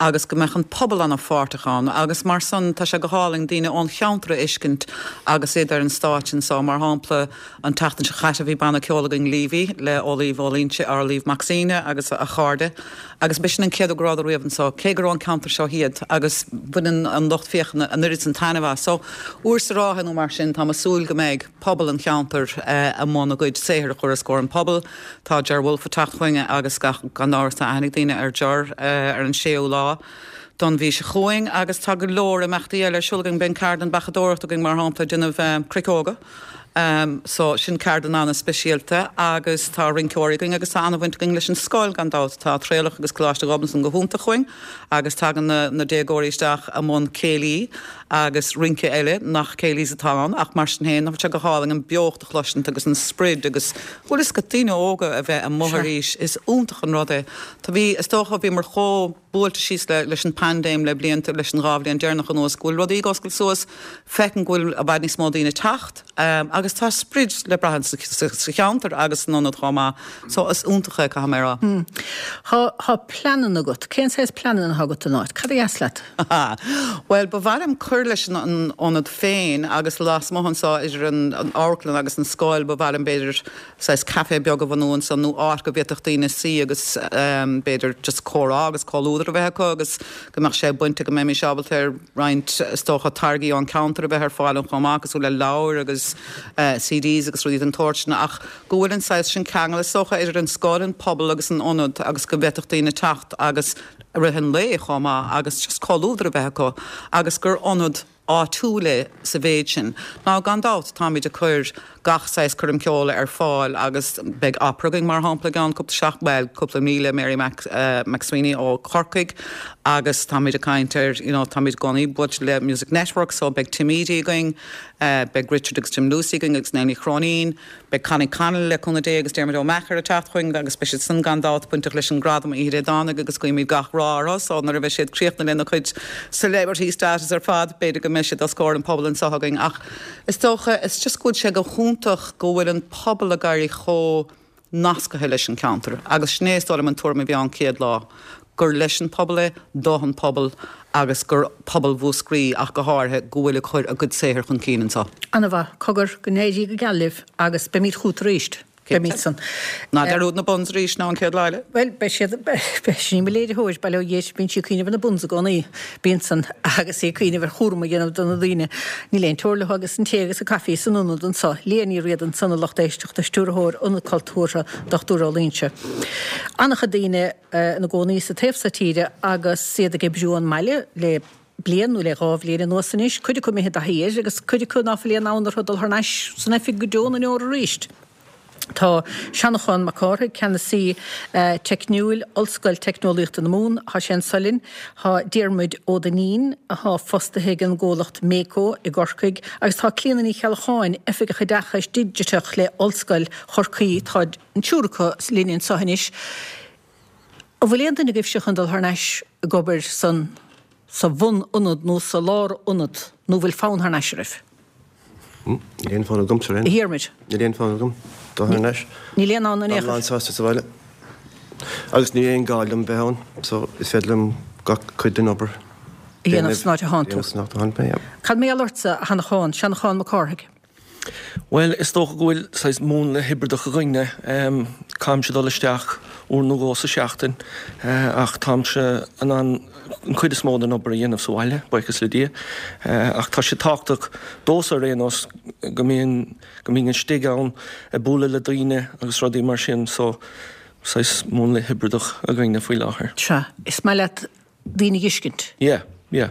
agus go mbeadh an pobal an-pháirteach ann agus mar san tá sé go hálainn daoine ón cheantar a fheiscint agus iad ar an stáitse anseo. Mar shampla, an tseachtain seo chaite bhí banna ceoil againn Leavy le Amhlaoibh Ó Loingsigh, Amhlaoibh Mac Suibhne agus a chairde agus b'shin an chéad uair go rabhadar riamh anseo, cé gur ón ceantar seo iad agus baineann an lucht féachana an oiread san taitneamh as. So, uair sa ráithe nó mar sin, táim ag súil go mbeidh pobal an cheantair i mbun a gcuid saothair a chur os comhair an pobail. Tá Ger Wolfe ag teacht chugainn agus gan amhras tá aithne ag daoine ar Ger ar an séú lá don mhí seo chugainn agus tá go leor imeachtaí eile ar siúl againn. Beidh ceardlann beachadóireachta againn mar shampla ag déanamh cruiceoga. So sin ceardlann an-speisialta agus tá rinceoirí againn agus tá an-bhaint againn leis an scoil gan dabht. Tá Traolach agus Coláiste Ghobnatan go hiontach chugainn agus tagann na, na déagóirí isteach i mbun céilí agus rince eile nach céilís atá ann ach mar sin féin tá sé go hálainn an beocht a chloisint agus an sprid agus bhfuil fhios agat daoine óga a bheith amuigh arís is iontach an rud é. Tá bhí, is dócha bhíomar chomh. buailte síos le leis an paindéim le blianta, leis an dhá bhliain deireanach anuas, go bhfuil rudaí ag oscailt suas, feicim go bhfuil i bhfad níos mó daoine ag teacht agus tá sprid le brath sa cheantar agus san ionad chomh maith. So is iontach é, caithfidh mé a rá. Tá tá pleananna agat. Cén saghas pleananna atá agat don áit? Cad a dheas leat? Bhuel, ba mhaith liom cur leis an an ionad féin agus lasmuigh anseo idir an an amharclann agus an scoil, ba mhaith liom b'fhéidir saghas café beag a bhunú ansan nó áit go bhféadfadh daoine suí agus b'fhéidir just comhrá agus comhluadar a bheith acu agus go mbeadh sé bainte go mbeimis ábalta ar roinnt is dócha táirgí ón ceantar a bheith ar fáil ann chomh maith cosúil le leabhair agus CDs agus rudaí den tsórt sin ach go bhfuil an saghas sin ceangal is dócha idir an scoil, an pobal agus an ionad agus go bhféadfadh daoine teacht agus i rith an lae chomh maith agus just comhluadar a bheith acu agus gur ionad áitiúil é sa mhéid sin. Now gan dabht táimid ag cur gach saghas coirm ceoil ar fáil agus beidh opera againn mar shampla i gceann cúpla seach, bhuel cúpla mí le Mary Mac, uh, McSweeney ó Chorcaigh agus táimid ag caint ar, you know, táimid i gcónaí buailte le Music Network so beidh Tim Edey againn, uh, beidh Richard agus Jim Lucey againn agus Nell Ní Chróinín, beidh Connie Connolly le cúnamh Dé agus Diarmuid Ó Meachair ag teacht chugainn agus beidh siad san gan dabht bainteach leis an gradam Oíche Dé Domhnaigh agus guímid gach rath orthu so nuair a bheidh siad críochnaithe lena cuid celebrity status ar fad b'fhéidir go mbeidh siad os comhair an pobal anseo againn ach is dócha is just go bhfuil sé go hiontach go bhfuil an pobal ag éirí chomh nasctha leis an ceantar agus sin é is dóigh liom an tuairim a bhí ann céad lá gur leis an pobal é, don pobal agus gur pobal Mhúscraí ach go háirithe go bhfuil ag cur a gcuid saothair chun cinn anseo. Ana-mhaith, cogar, go n-éirí go geal libh agus beimid chugat arís. Beimid san. Ná dearúd na buns arís ná an chéad lá eile. Bhuel, beidh siad, beidh sin í mo léiritheoir, bail ó Dhia uirthi, bíonn sí ag cuimhneamh ar na buns i gcónaí. Bíonn san agus í ag cuimhneamh ar chúram a dhéanamh do na daoine. Níl aon teora leo agus an tae agus an caife san ionad anseo. Liadh Ní Riada ansan a lucht éisteachta, Stiúrthóir Ionad Cultúrtha Dochtúir Ó Loingsigh. An-chuid daoine ina gcónaí sa taobh seo tíre agus iad ag oibriú ón mbaile le bliain nó le dhá bhliain anuas anois, cuid acu imithe i dtaithí air agus cuid acu ná fuil aon fhonn orthu dul thar n-ais san oifig go deo na ndeor arís. Tá Seanachán Mac Cárthaigh, Ceannasaí Teicniúil, Ollscoil Teicneolaíochta na Mumhan, tá sé anso linn. Tá Diarmuid Ó Duinnín, atá fostaithe ag an gcomhlacht Mako i gCorcaigh, agus tá Clíona Ní Cheallacháin, Oifigeach Oideachais Digiteach le Ollscoil Chorcaí, tá an triúr acu linn anseo anois. An bhfuil aon duine agaibhse chun dul thar n-ais ag obair san sa bhun-ionad nó sa lár-ionad nó bhfuil fonn thar n-ais oraibh? Níl aon fonn agamsa ar aon. A Dhiarmuid. Níl aon fonn agam dul thar n-ais. Níl aon fhonn in aon Táim chor. lán sásta sa bhaile. Agus níl aon gá liom bheith ann, so is féidir liom gach cuid den obair a dhéanamh san áit a thánn tú. dhéanamh san áit a thánn mé, yeah. Cad mar gheall ortsa, a Sheanacháin, Seanachán Mac Cárthaigh? Bhuel, is dócha go bhfuil saghas múnla hibrideach againne. Caithimse dul isteach uair nó dhó sa seachtain ach táimse in ann an chuid is mó den obair a dhéanamh sa bhaile, buíochas le Dia. Ach tá sé tábhachtach domhsa ar aon nós go mbíonn, go mbínn istigh ann ag bualadh le daoine agus rudaí mar sin so saghas múnla hibrideach againne faoi láthair. Sea, is maith leat daoine a fheiscint? Yeah, yeah.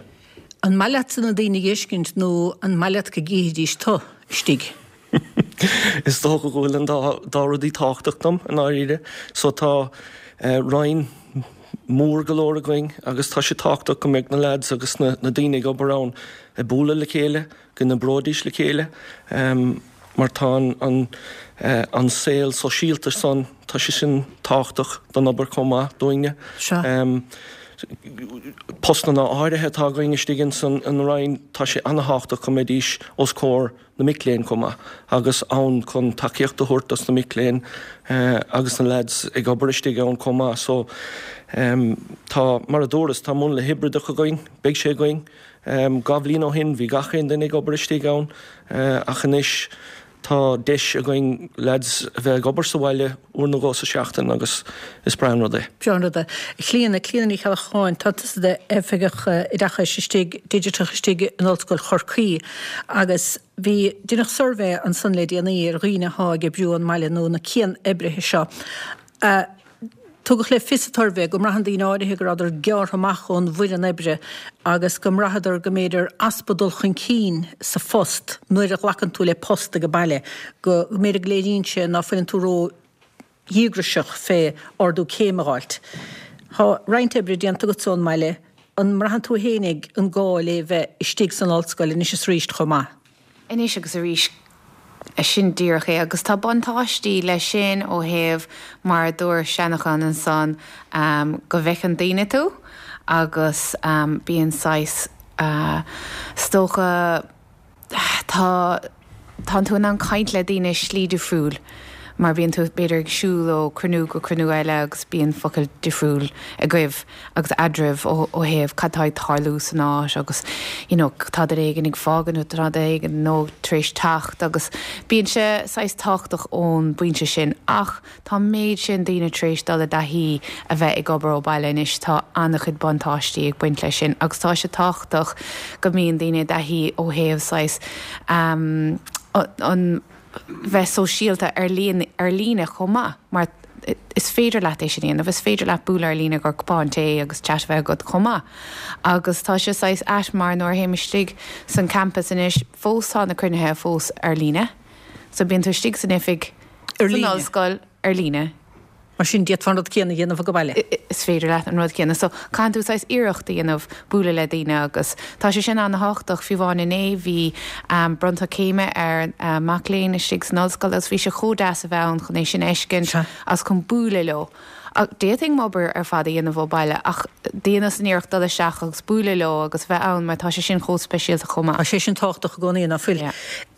An maith leatsa na daoine a fheiscint nó an maith leat go gcífidís tu istigh? Is dócha go bhfuil an dá, dá rudaí tábhachtach dom, i ndáiríre. So tá roinn mór go leor againn agus tá sé tábhachtach go mbeadh na lads agus na, na daoine ag obair ann ag bualadh le chéile, go n-oibreoidís le chéile, mar tá an, an, an saol sóisialta san, tá sé sin tábhachtach don obair chomh maith dúinne. Sea. Postanna áirithe atá againn istigh ins an Roinn, tá sé ana-thábhachtach go mbeidís os comhair na mic léinn chomh maith agus ann chun tacaíocht a thabhairt dos na mic léinn agus na lads ag obair istigh ann chomh maith. So tá, mar a dúras, tá múnla hibrideach againn, beidh sé againn. Dhá bhliain ó shin bhí gach aon duine ag obair istigh ann ach anois tá deis againn lads a bheith ag obair sa bhaile uair nó dhó sa seachtain agus is breá an rud é. Breá an rud é. A Chlíona, Clíona Ní Cheallacháin, tá tusa i d'oifigeach oideachais istigh, digiteach istigh in Ollscoil Chorcaí agus bhí, deineadh suirbhé ansan le déanaí ar dhaoine athá ag oibriú ón mbaile nó na cian-oibrithe seo. Tugadh le fios sa tsuirbhé go mbraitheann daoine áirithe go rabhadar gearrtha amach ón bhfoireann oibre agus go mbraitheadar go mb'fhéidir easpa dul chun cinn sa phost nuair a ghlacann tú le post ag baile, go mb'fhéidir go léiríonn sé ná fuileann tú ró-dhíograiseach fé ardú céime a dh'fháilt. Tá roinnt oibre déanta agatsa ón mbaile, an mbraitheann tú fhéinig an gá le bheith istigh san ollscoil anois is arís chomh maith? Anois agus arís. Sin díreach é agus tá buntáistí leis sin ó thaobh, mar a dúirt Seanachán ansan, go bhfeiceann daoine tú agus bíonn saghas is dócha tá tánn tú in ann caint le daoine slí difriúil mar bíonn tú b'fhéidir ag siúl ó cruinniú go cruinniú eile agus bíonn focail difriúil agaibh agus eadraibh ó ó thaobh cad tá ag tarlú san áit agus you know tá duine éigin ag fágaint nó tá duine éigin nó tar éis teacht agus bíonn sé saghas tábhachtach ón bpointe sin ach tá an méid sin daoine tar éis dul i dtaithí a bheith ag obair ó bhaile anois tá an-chuid buntáistí ag baint leis sin agus tá sé tábhachtach go mbíonn daoine i dtaithí ó thaobh saghas um, an bheith sóisialta ar líne ar líne chomh maith mar is féidir leat é sin a dhéanamh, is féidir leat bualadh ar líne gur cupán tae agus chat a bheith agat chomh maith. Agus tá sé saghas ait mar nuair a théim istigh san campus anois fós tá na cruinnithe fós ar líne. So bíonn tú istigh san oifig Ar san líne. ollscoil ar líne. Mar sin d'fhéadfá an rud céanna a dhéanamh go baile. Is féidir leat an rud céanna. So caitheann tú saghas iarracht a dhéanamh bualadh le daoine agus tá sé sin an-tábhachtach fiú amháin inné bhí um, bronnadh céime ar uh, mac léinn istigh san ollscoil agus bhí sé chomh deas a bheith ann chun é sin a fheiscint agus chun bualadh leo. D'fhéadfainn m'obair ar fad a dhéanamh ó baile ach déanas an iarracht dul isteach agus bualadh leo agus bheith ann mar tá sé sin chomh speisialta chomh maith. Tá sé sin tábhachtach i gcónaí ná fuil.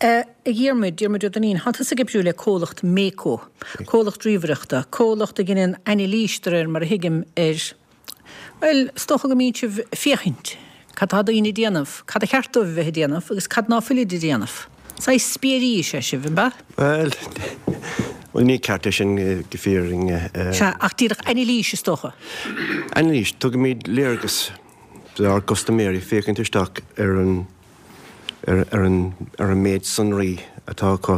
A Dhiarmuid, Diarmuid Ó Duinnín, tá tusa ag oibriú le comhlacht Mako, comhlacht ríomhaireachta, comhlacht a dhéanann anailís de réir mar a thuigim ar Well, is dócha go mbíonn sibh ag féachaint, cad tá daoine ag déanamh, cad a cheart dóibh a bheith ag déanamh agus cad ná fuilid ag déanamh. Saghas spiairí is ea sibh, an ea? Well, well ní ceart é sin go fírinne. Sea, ach díreach anailís is dócha. Anailís, tugaimid léargas dár gcustaiméirí féachaint isteach ar an ar, ar an ar an méid sonraí atá acu,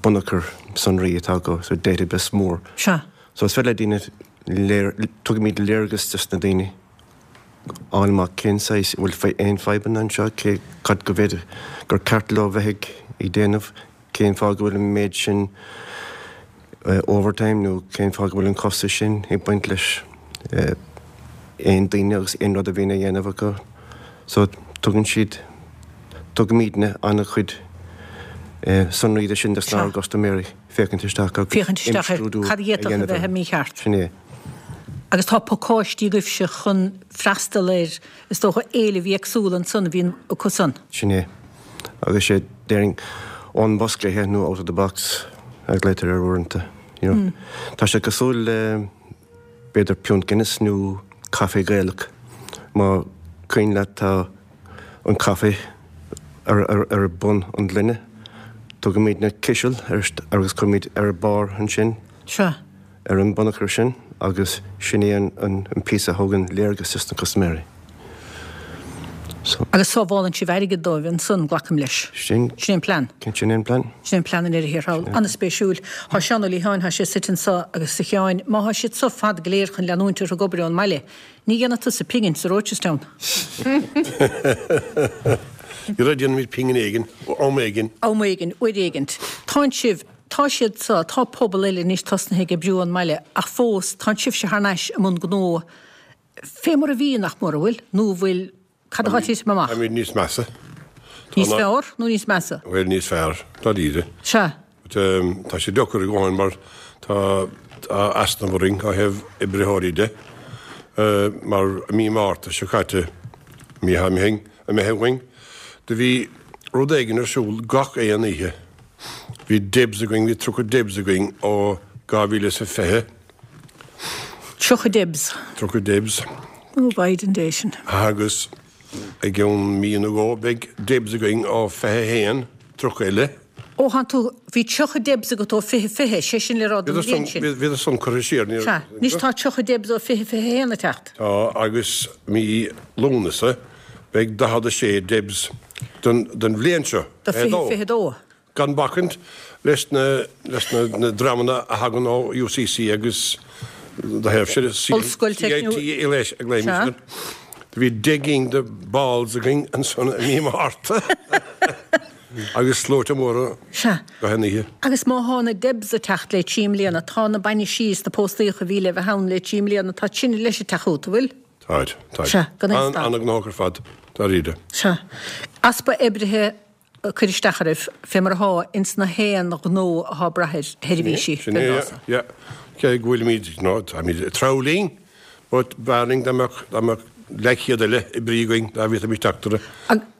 bunachar sonraí atá acu, so database mór. Sea. So is féidir le daoine léir, tugaimid léargas dos na daoine fháil amach cén saghas bhfuil aon fadhbanna anseo, cé cad go bhféidir gur ceart leo bheith ag ag déanamh, cén fáth go bhfuil an méid sin overtime nó cén fáth go bhfuil an costas sin ag baint leis aon daoine agus aon rud a bhíonn a dhéanamh acu. So tugann siad tugaimidne an-chuid sonraí de sin dos ár gcustaiméirí féachaint isteach agus Féachaint isteach ar imscrúdú cad a a d'fhéadfadh a dhéanamh bheith air. mícheart. Sin é. Agus tá pacáistí agaibhse chun freastal ar is dócha éilimh éagsúla ansan a bhíonn acu san. Sin é. Agus sé déarfainn ón bosca nó out of the box a glaotar ar uaireanta. You know. Mm. Tá sé cosúil le b'fhéidir piúnt Guinness nó caife Gaelach. Má cuimhin leat tá an caife ar, ar, ar bun an gloine, tugaimid na ciseal ar, agus cuirimid ar barr ansin. Sea. Ar an bunachar sin agus sin é an, an, an píosa a thugann léargas dos na custaiméirí. So. Agus sábhálann sibh airgead dóibh ansan glacaim leis. Sin Sin an plean. Sin an plean. Sin an plean an ar thall. An-spéisiúil. Tá Seán Ó Liatháin, tá sé suite anseo agus a Sheáin, má tá siad seo fad go léir chun leanúint orthu ag obair ón mbaile. Ní dhéanfaidh tusa pingin sa Rochestown. Ní déanaimid pingin éigin, am éigin. Am éigin, uair éigint. Tá sibh tá siad sa tá pobal eile anois tosnaithe ag oibriú ón mbaile ach fós tá sibhse thar n-ais i mbun gnó fé mar a bhí nach mór bhfuil nó bhfuil cad atá titim amach. Táimid níos measa. Níos fearr nó níos measa? Bhuel níos fearr, dáiríre. Sea. Tá sé deacair i gcónaí mar tá easnamh orainn ó thaobh oibritheoirí de mar mí Márta seo caite mí mí imithe uainn, do bhí rud éigin ar siúl gach aon oíche. Bhí Debs againn, bhí tríocha Debs againn ó dhá mhíle is a fiche. Tríocha Debs. Tríocha Debs. Ó Biden dé sin. Agus i gceann mí nó dhó beidh Debs againn ó fiche haon, tríocha eile. Ó than tú bhí tríocha Debs agat ó fiche fiche, sé sin le rá don bhliain sin. Bhí san curtha siar. Sea, anois tá tríocha Debs ó fiche fiche haon ag teacht. Tá agus mí Lúnasa beidh daichead a sé Debs don don bhliain seo. Do fiche fiche dó. Gan bacaint leis na leis na na dreamanna a thagann ó UCC agus do thaobh sin Ollscoil CIT leis ag léim. Do bhí deich gcinn de balls againn ansan i mí Márta. Agus sluaite móra Sea. go haon oíche. Agus má thá na Debs ag teacht le trí mbliana, tá na bainisí is na póstaíocha a bhí le bheith ann le trí mbliana, tá sin leis ag teacht chugat, an bhfuil? Táid, táid. Sea, gan aon An stad. an-ghnóthach ar fad, dáiríre. Sea. Easpa oibrithe cuir isteach oraibh, fé mar atá ins na haon ghnó atá ag brath ar sheirbhísí Sin é, yeah. Cé go bhfuilimid, no, táimid ag treabhadh linn, But b'fhearr dá mbeadh, dá mbeadh leathchéad eile oibrí againn dá bhféadfaimis teacht orthu.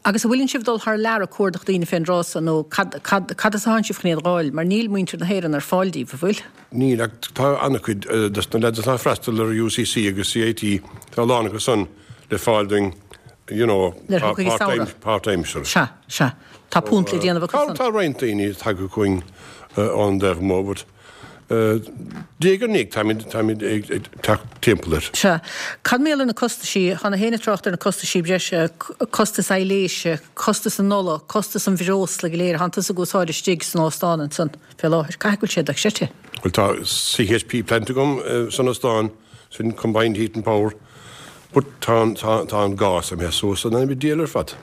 Agus an bhfuileann sibh ag dul thar lear ag cuardach daoine fén dtráth so nó cad, cad, cad as atánn sibh chun iad a dh'fháil mar níl muintir na hÉireann ar fáil díbh, an bhfuil? Níl ach tá an-chuid dos na lads atá ag freastal ar UCC agus CIT, tá a lán acu san le fáil dúinn, you know, Nuair a thiocfaidh an samhradh. páirtaimseartha. Sea, sea. Tá punt le déanamh acu san. Tá roinnt daoine tagtha chugainn ón dtaobh amuigh but diaidh ar ndiaidh táimid, táimid ag teacht timpeall air. Sea. Cad mar gheall ar na costaisí, tá gach éinne ag trácht ar na costaisí breise, costas aibhléise, costas an ola, costas an bhreosla go léir a thánn tusa ag úsáid istigh san óstán ansan fé láthair. Caithfidh go bhfuil sé dochreidte. Bhuel tá CHP plant agam san óstán, sin Combined Heat and Power, but tá an, tá, tá an gás imithe suas in ainm an diabhail ar fad.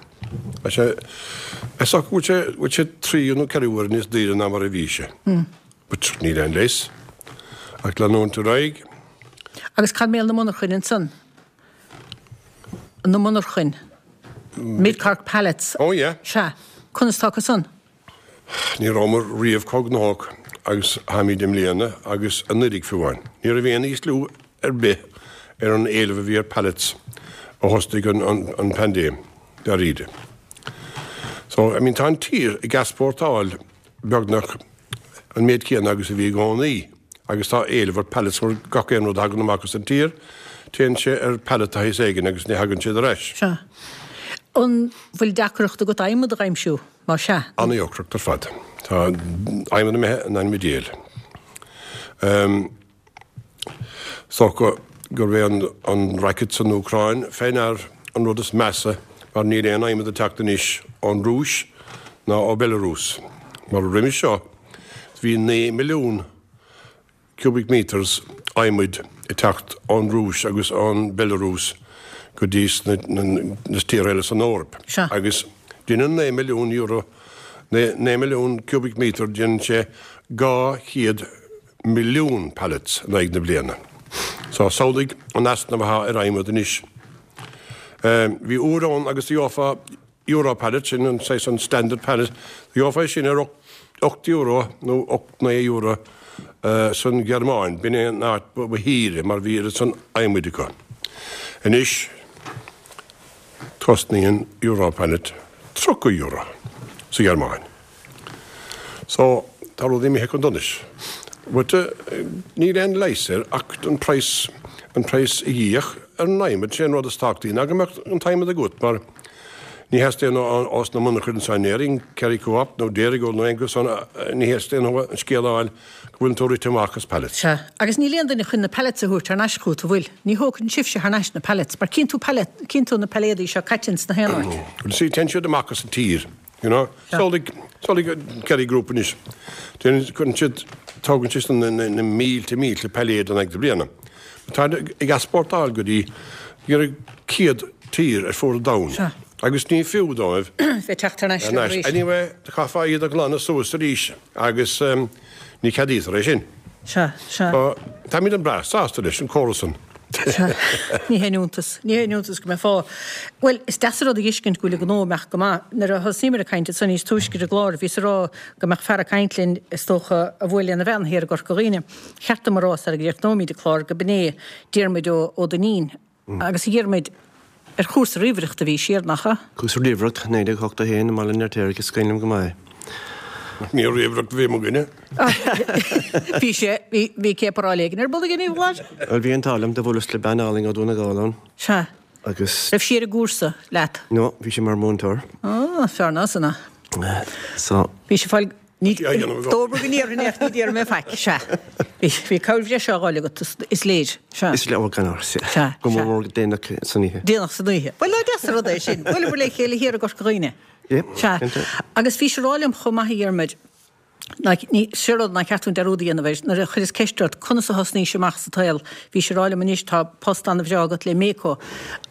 Tá sé, is dócha go bhfuil sé, bhfuil sé trí nó ceithre huaire níos daoire ná mar a bhí sé. But níl aon leigheas ach leanúint ar aghaidh. Agus cad mar gheall ar na monarchain ansan? Na monarchain. Mid Cork Pallets. Oh yeah. Sea. Conas tá acu san? Ní rabhamar riamh chomh gnóthach agus táimid i mbliana agus anuraidh fiú amháin. Ní raibh aon ísliú ar bith ar an éileamh a bhí ar pallets ó thosnaigh an paindéim, dáiríre. So, I mean, tá an tír ag easpórtáil beagnach an méid céanna agus a bhí i gcónaí agus tá éileamh ar pallets mar gach aon rud a thagann amach as an tír, téann sé ar pallet de shaghas éigin agus ní thagann siad ar ais. Sea. An bhfuil deacracht agat adhmad a aimsiú, más ea? An-deacracht ar fad. Tá adhmad imithe in ainm an diabhail. Is dócha gurb é an racket san Úcráin fé ndear an rud is measa mar níl aon adhmad ag teacht anois ón Rúis ná ó Belarus mar roimhe seo bhí naoi milliún cubic metres adhmaid ag teacht ón Rúis agus ón Belarus go dtí na tíortha eile san Eoraip agus déanann naoi milliún euro, naoi milliún cubic metre, déanann sé dhá chéad milliún pallets in aghaidh na bliana. So, samhlaigh an easnamh atá ar adhmad anois. Bhí uair ann agus gheofá euro pallet, sin an saghas an standard pallet, gheofá é sin ar ocht euro nó ocht naoi euro san Ghearmáin, b'in é an áit ba shaoire mar bhí oiread san adhmaid acu. Anois, cosnaíonn euro pallet tríocha euro sa Ghearmáin. So, tá rudaí imithe chun donais. But níl aon leigheas air ach an praghas, an praghas a dh'íoc ar an adhmad, sé an rud is tábhachtaí ná go mbeadh an t-adhmad agat mar ní theastaíonn ós na monarchain anseo in Éirinn, Kerry Co-op nó Dairygold nó aon chuid san, ní theastaíonn uathu an scéal a fháil go bhfuil tú rite amach as pallets. Sea, agus níl aon duine chun na pallets a thabhairt thar n-ais chugat, an bhfuil? Ní thógann sibhse thar n-ais na pallets, mar cíonn tú pallet, cíonn tú na pailléadaí seo caite ins na haon áit. Well, see, téann siad amach as an tír. You know? Samhlaigh, samhlaigh Kerry Group anois. Déanann, cuireann siad, tógann siad na, na, na mílte, mílte pailléad in aghaidh na bliana. Tá ag easpórtáil go dtí iarraidh céad tír ar fuaid an domhain. Sea. Agus ní fiú dóibh. Bheith teacht thar n-ais leo arís. Anyway, chaithfeá iad a ghlanadh suas arís agus ní cheadaítear é sin. Sea, sea. So, táimid an breá sásta leis an córas san. Sea, ní haon iontas, ní haon iontas go mbeifeá. Bhuel, is deas an rud a dh'fheiscint go bhfuil an gnó ag imeacht go maith. Nuair a thosnaíomar ag caint ansan níos túisce ar an gclár, bhíos ag rá go mbeadh fear ag caint linn, is dócha, a bhuail lena bhean thiar i gCorca Dhuibhne. Cheart dom a rá sara gcríochnóimid an clár go b'in é Diarmuid Ó Duinnín. Agus a Dhiarmuid, ar chúrsa ríomhaireachta a bhís thiar, nach ea? Cúrsa ríomhaireacht, naoi déag ochtó a haon i mBaile an Fheirtéaraigh, is cuimhin liom go maith é. Ní ríomhaireacht a bhí againne. Bhí sé, bhí, bhí céaparáil éigin ar bun againn, a Bhláid? Bhuel, bhí an t-ádh liom, do bhuaileas le bean álainn ó Dhún na nGall ann. Sea. Agus. Raibh sí ar an gcúrsa leat? No, bhí sí mar mhúinteoir. Á, fearr ná san é. So. Bhí sí fáil, ní, dóbair go ndéarfainn é ach ní déarfaidh mé faic, sea. Bhí, bhí cabhair bhreise á dh'fháil agat, is, is léir, sea. Is léir, ó, gan amhras, sea. Sea, Go mór mór déanach san oíche. Déanach san oíche. Bhuel, ná deas an rud é sin. Bhuaileabhair le chéile thiar i gCorca Dhuibhne. Sea. Agus bhís ag rá liom chomh maith a Dhiarmuid, ní, sé rud nár cheart dúinn dearúd a dhéanamh air, nuair a chuireas ceist ort conas a thosnaís amach sa tsaol, bhís ag rá liom anois tá post an-bhreá agat le Meco,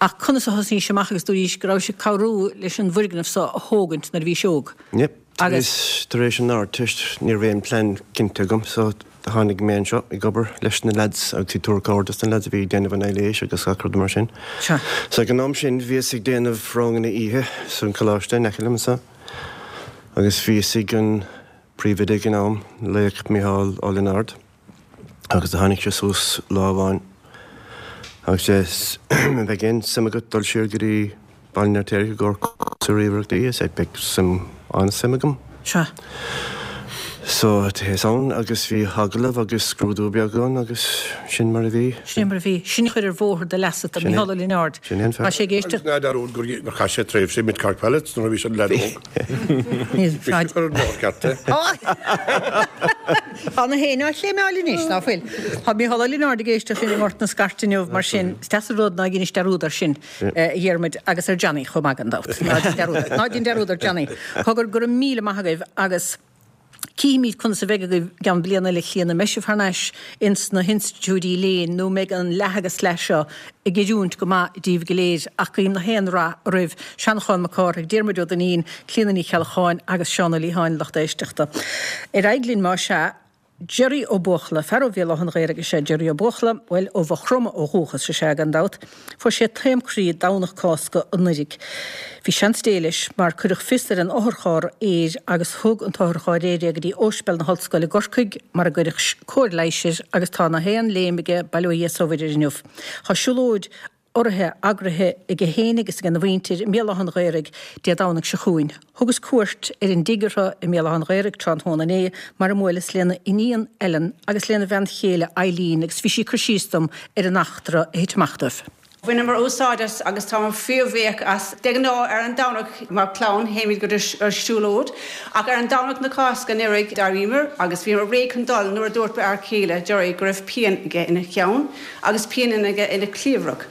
ach conas a thosnaís amach agus dúraís go rabhais ag cabhrú leis an bhfoirgneamh so a thógaint nuair a bhís óg. Yep. Tar éis, tar éis an Ardteist ní raibh aon plean cinnte agam so tháinig mé anseo ag obair leis na lads agus ag tabhairt cabhair dos na lads a bhí ag déanamh an aibhléis agus gach rud mar sin. Sea. So ag an am sin bhíos ag déanamh ranganna oíche san coláiste in aice liom anseo agus bhí fhios ag an príomhoide ag an am, Laoch Micheál Ó Lionáird, agus do tháinig sé suas lá amháin Agus bheadh aon suim agat dul siar go dtí Baile an Fheirtéaraigh i gcomhair cúrsa ríomhaireachta I said beidh suim an-suim agam. Sea. So théas ann agus bhí agallamh agus scrúdú beag ann agus sin mar a bhí. Sin mar a bhí. Sin a chuir ar bhóthar do leasa do Mícheál Ó Lionáird. Sin é an Tá sé ag éisteacht. Agus ná dearúd gur gur chaith sé tréimhse i Mid Cork Pellets nuair a bhí sé leaid óg. Bhí sé ag cur ar an mbóthar ceart é. Tá na héin á chléimeáil anois, ná fuil? Tá Mícheál Ó Lionáird ag éisteacht linn i nGort na Scairte inniu, mar sin is deas an rud ná ag inis dearúd air sin, a Dhiarmuid, agus ar Johnny chomh maith gan dabht. Ná déan dearúd ná déan dearúd ar Johnny. Cogar, go raibh míle maith agaibh agus Cífimid conas a bheidh agaibh i gceann bliana eile a Chlíona, an mbeidh sibh thar n-ais ins na hinstitiúidí léinn nó an mbeidh an leath agus leath seo ag oiriúint go maith díbh go léir ach guím na haon rath oraibh. Seanchán Mac Cárthaigh, Diarmuid Ó Duinnín, Clíona Ní Cheallacháin agus Seán Ó Liatháin, lucht éisteachta. Ar aghaidh linn más ea. Gerry Ó Buachalla, fear ó Bhéal Átha an Ghaorthaidh is ea Gerry Ó Buachalla, bhuel, ó Mhaigh Chromtha ó dhúchas is ea, gan dabht. Fuair sé taom croí Domhnach Cásca anuraidh. Bhí seans Dé leis mar cuireadh fios ar an otharcharr aeir agus thug an t-otharcharr aeir é go dtí Ospidéal na hOllscoile i gCorcaigh mar a gcuireadh cóir leighis air agus tá na haon léim aige, bail ó Dhia is ó Mhuire air inniu. Tá siúlóid urraithe eagraithe aige féin agus ag a mhuintir i mBéal Átha an Ghaorthaidh Dé Domhnaigh seo chugainn. Thugas cuairt ar an dtigh orthu i mBéal Átha an Ghaorthaidh tráthnóna inné mar a mbuaileas lena iníon Ellen agus lena bhean chéile Eileen agus bhí sí ag cur síos dom ar an eachtra a thit amach dóibh. Bhaineamar úsáid as agus táimid fíorbhuíoch as. De ghnáth ar an Domhnach mar chlann théimid go dtí ar siúlóid ach ar an Domhnach na Cásca anuraidh d'éiríomar agus bhíomar réidh chun dul nuair a dúirt m'fhear céile Gerry go raibh pian aige ina cheann agus pian aige ina chliabhrach.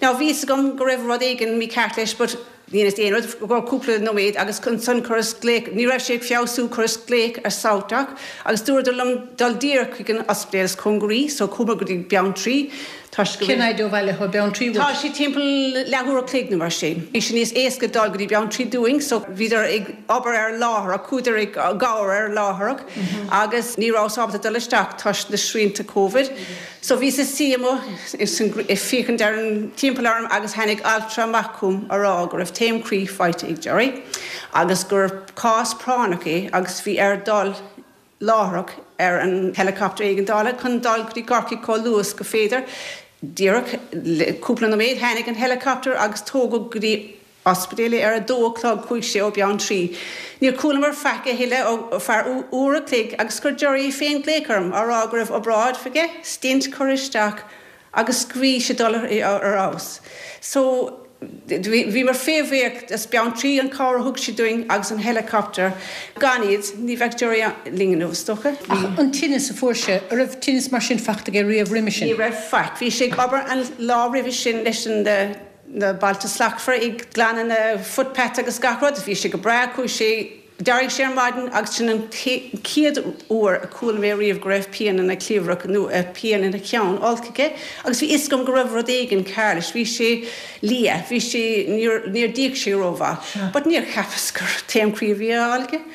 Now bhí fhios agam go raibh rud éigin mícheart leis but ní dhéanas aon rud i gcomhair cúpla nóiméad agus ansan chuireas glaoch, ní raibh sé ag feabhsú, chuireas glaoch ar SouthDoc agus dúradar liom dul díreach chuig an ospidéal is cóngaraí so chuamar go dtí Beanntraí toisc go Cén fhaid ó bhaile atá Beanntraí uait? Tá sé timpeall leathuair a chloig nó mar sin. Bhí sé níos éasca dul go dtí Beanntraí dúinn so bhíodar ag obair ar láithreach, chuadar i gcabhair ar láithreach agus ní rabhas ábalta dul isteach toisc na srianta Covid. So bhíos ina suí amuigh ag féachaint ar an timpeall orm agus tháinig altra amach chugam a rá go raibh taom croí faighte ag Gerry agus gur cás práinneach é agus bhí air dul láithreach ar an helicopter éigeandála chun dul go dtí Corcaigh chomh luath is go féidir. Díreach le cúpla nóiméad tháinig an helicopter agus tógadh go dtí ospidéal é ar a dó a chlog chuaigh sé ó Beanntraí. Níor chualamar faic a thuilleadh ar feadh uair a chloig agus chuir Gerry féin glaoch orm á rá go raibh obráid aige, stint curtha isteach agus go bhí sé dul ar fheabhas. So bhíomar fíorbhuíoch as Beanntraí an cabhair a thug siad dúinn agus an helicopter. Gan iad ní bheadh Gerry linn inniu is dócha. Ach an tinneas a fuair sé, an raibh tinneas mar sin faighte aige riamh roimhe sin? Ní raibh faic. Bhí sé ag obair an lá roimhe sin leis an na Bailte Slachtmhara ag glanadh na footpaths agus gach rud. Bhí sé go breá, chuaigh sé, d'éirigh sé ar maidin agus sin an chéad uair a chuala mé riamh go raibh pian ina chliabhrach nó pian ina cheann olc aige agus bhí fhios agam go raibh rud éigin cearr leis. Bhí sé liath, bhí sé, níor, níor d'íoc sé rómhaith. But níor cheapas gur taom croí a bhí á fháil aige.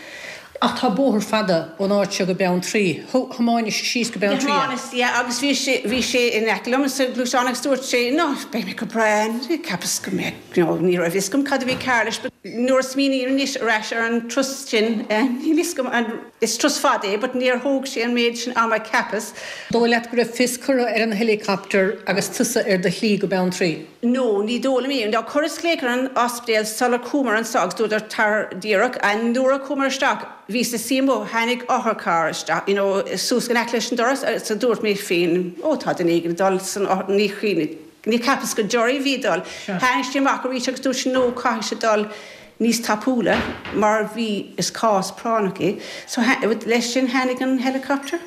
Ach tá bóthar fada ón áit seo go Beanntraí. Thiomáinis síos go Beanntraí é? Thiomáineas, yeah, agus bhí sé, bhí sé in aice liom sa ghluaisteán agus dúirt sé, no, beidh mé go breá, cheapas go mbeadh, you know, ní raibh fhios agam cad a bhí cearr leis, but nuair a smaoiním anois ar ais ar an turas sin, níl fhios agam an, is turas fada é, but níor thóg sé an méid sin ama cheapas. Dóigh leat go raibh fios curtha ar an helicopter agus tusa ar do shlí go Beanntraí? No, ní dóigh liom é. Now chuireas glaoch ar an ospidéal sular chuamar anso agus dúradar tar díreach, and nuair a chuamar isteach, bhíos ina suí amuigh, tháinig otharcharr isteach, you know, suas in aice leis an doras so dúirt mé féin, ó tá duine éigin ag dul san othar, ní chuimhne, ní cheapas gur Gerry a bhí ag dul. Tháinig sé amach arís agus dúirt sé no, caithfidh sé dul níos tapúla mar bhí, is cás práinneach é. So leis sin tháinig an helicopter.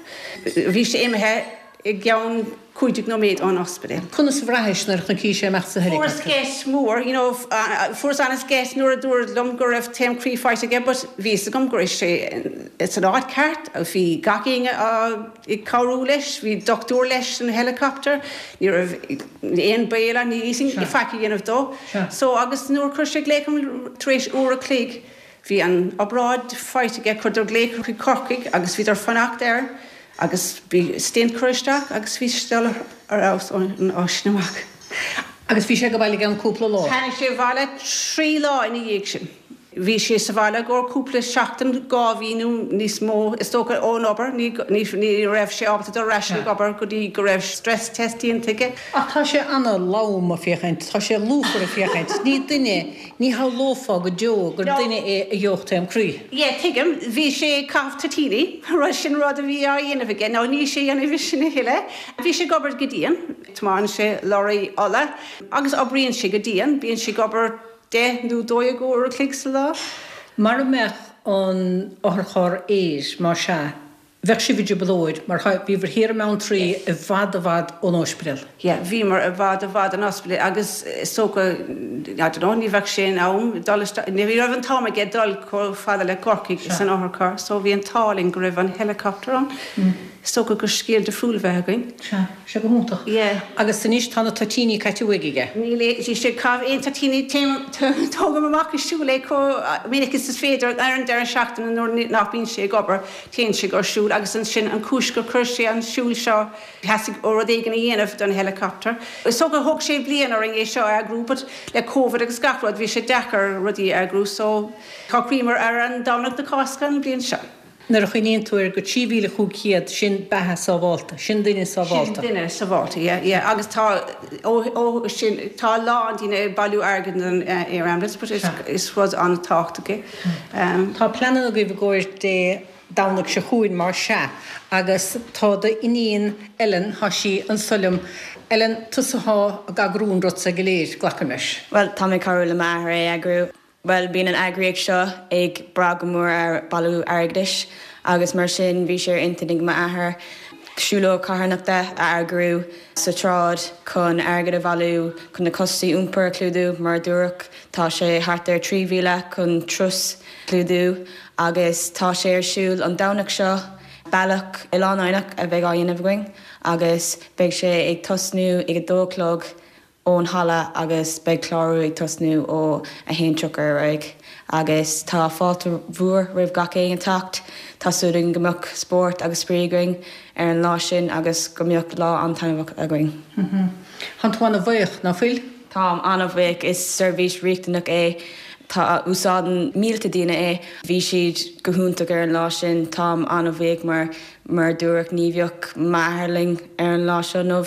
Bhí sé imithe i gceann cúig déag nóiméad ón ospidéal. Conas a bhraithis nuair a chonaicis é amach sa Fuaireas helicopter? geit mór, you know, fuaireas an-gheit nuair a dúradh liom go raibh taom croí faighte aige but bhí fhios agam go raibh sé san áit ceart, bhí gach éinne ag cabhrú leis, bhí dochtúir leis san helicopter, ní raibh aon baol ann, ní fhéadfaí faic a dhéanamh dó. So agus nuair a chuir sé glaoch orm tar éis uair a chloig, bhí an obráid faighte aige, chuireadar glaoch chuig Corcaigh agus bhíodar fanacht air. Agus bhí stint curtha isteach agus bhí sé dul ar fheabhas ón lá sin amach. Agus bhí sé ag baile i gceann cúpla lá? Tháinig sé abhaile trí lá ina dhiaidh sin. Bhí sé sa bhaile i gcomhair cúpla seachtain, dhá mhí nó níos mó is dócha ón obair, ní ní raibh sé ábalta dul ar ais ag obair go dtí go raibh stress test déanta aige. Ach tá sé ana-lom ag féachaint, tá sé lúfar ag féachaint. Ní duine, ní shamhlófá go deo gur duine é a gheobhadh taom croí. Yeah, tuigim. Bhí sé ag caitheamh toitíní, rud sin rud a bhí á dhéanamh aige, now níl sé a dhéanamh sin a thuilleadh. Bhí sé ag obair go dian, tiomáineann sé lorraí ola agus oibríonn sé go dian, bíonn sé ag obair deich nó dó dhéag uair a chloig sa lá. Mara mbeadh an otharcharr aeir, más ea, bheadh sibh i dtrioblóid, mar bhíobhair thiar i mBeanntraí i bhfad i bhfad ón ospidéal. Yeah, bhíomar i bhfad i bhfad ón ospidéal agus is dócha, I don't know, ní bheadh sé in am dul isteach, ní raibh an t-am aige dul chomh fada le Corcaigh san otharcharr, so bhí an t-ádh linn go raibh an helicopter ann. Is dócha gur scéal difriúil a bheadh againn. Sea, sé go hiontach. Yeah. Agus anois tá na toitíní caite uaidh aige. Níl níl sé ag caitheamh aon toitíní, téim, tógaim amach ag siúl é chomh minic is is féidir ar an deireadh seachtaine nuair nach mbíonn sé ag obair, téann sé ag siúl agus ansin an chúis gur chuir sé an siúl seo, theastaigh ó rud éigin a dhéanamh don helicopter. Is dócha thóg sé bliain orainn é seo a eagrú but le Covid agus gach rud bhí sé deacair rudaí a eagrú so shocraíomar ar an Domhnach na Cásca an bhliain seo. Nuair a chuimhníonn tú ar go trí mhíle chúig chéad, sin beatha sábhálta, sin duine sábhálta. Sin duine sábhálta, yeah, yeah. Agus tá, ó, ó sin, tá a lán daoine ag bailiú airgid don Air Ambulance, but is, is rud an-tábhachtach é. Tá pleananna agaibh i gcomhair Dé Domhnaigh seo chugainn, más ea, agus tá d'iníon Ellen, tá sí anso liom. Ellen, tusa atá ag eagrú an rud seo go léir, glacaim leis. Bhuel, tá mé ag cabhrú le m'athair é a eagrú. Bhuel, bíonn an eagraíocht seo ag brath go mór ar bailiú airgeadais agus mar sin bhí sé ar intinn ag m'athair siúlóid carthanachta a eagrú sa tsráid chun airgead a bhailiú chun na costais iompair a chlúdú. Mar a dúradh, tá sé thart ar trí mhíle chun turas a chlúdú agus tá sé ar siúl an Domhnach seo. Bealach Oileán Eidhneach a bheidh á dhéanamh againn agus beidh sé ag tosnú ag a dó a chlog. ón halla agus beidh clárú ag tosnú ó a haon tríocha ar aghaidh agus tá fáilte mhór roimh gach éinne teacht. Tá súil againn go mbeadh spórt agus spraoi againn ar an lá sin agus go mbeadh lá an-taitneamhach againn. Tánn tú ana-bhuíoch, ná fuil? Táim an-bhuíoch. Is seirbhís riachtanach é. Tá, úsáideann mílte daoine é. Bhí siad go hiontach ar an lá sin. Táim an-bhuíoch mar, mar a dúradh, ní bheadh m'athair linn ar an lá seo inniu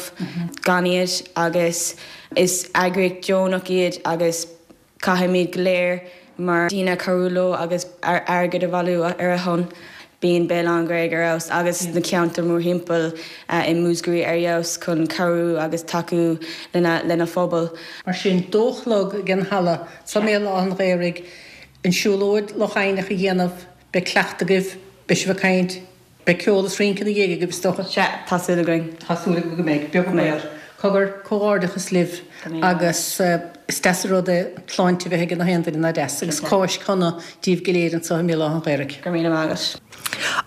gan iad agus is eagraíocht deonach iad agus caithfimid go léir mar daoine cabhrú leo agus airgead a bhailiú ar a shon. Bíonn Béal Átha an Ghaorthaidh ar fheabhas agus na ceantair mórthimpeall i Múscraí ar fheabhas chun cabhrú agus tacú lena lena phobal. Mar sin, dó a chlog ag an halla sa mBéal Átha an Ghaorthaidh, an siúlóid Loch Eidhneach a dhéanamh, beidh cleachtadh agaibh, beidh sibh ag caint, beidh ceol is rince ina dhiaidh agaibh is dócha. Sea, tá súil againn. Tá súil agaibh go mbeidh, beag an baol. Cogar, comhghairdeachas libh agus is deas an rud é an tsláinte a bheith ag gach aon duine, nach deas, agus Cáisc shona díbh go léir anseo i mBéal Átha an Ghaorthaidh. Go raibh míle maith agat.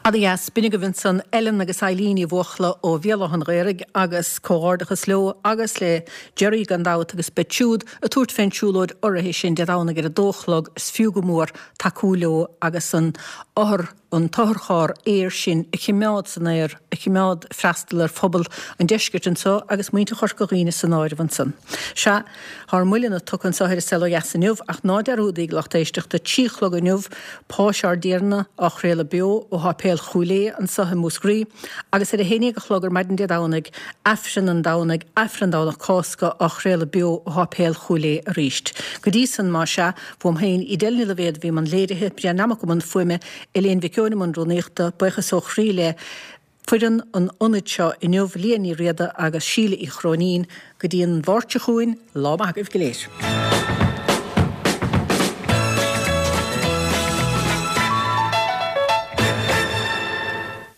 Ana dheas, b'in agaibh ansan Ellen agus Eileen Uí Bhuachalla ó Bhéal Átha an Ghaorthaidh agus comhghairdeachas leo agus le Gerry gan dabht agus beid siúd ag tabhairt fén tsiúlóid urraithe sin Dé Domhnaigh ar a dó a chlog, is fiú go mór tacú leo agus an othar an t-otharcharr aeir sin a chimeád san aer, a chimeád ag freastal ar phobal an deiscirt anso agus muintir Chorca Dhuibhne san áireamh ansan. Sea, tá ár moilleanna tugtha anso ar An Saol Ó Dheas inniu, ach ná dearúdaíg, lucht éisteachta, trí a chlog inniu, Páis ár dTiarna á chraoladh beo ó Sháipéal Chúil Aodha anso i Múscraí, agus ar a haon déag a chlog ar maidin Dé Domhnaigh, Aifreann an Domhnaigh, Aifreann Domhnach Cásca á chraoladh beo ó Sháipéal Chúil Aodha arís. Go dtí san, más ea, uaim féin, Edel Ní Loibhéad a bhí i mbun léirithe, Brian Nammock i mbun fuaime, Elaine Mhic Eoin i mbun rúnaíochta, buíochas ó chroí le foireann an ionaid seo inniu, Liadh Ní Riada agus Síle Uí Chróinín. Go dtí an Mháirt seo chugainn, lá maith agaibh go léir.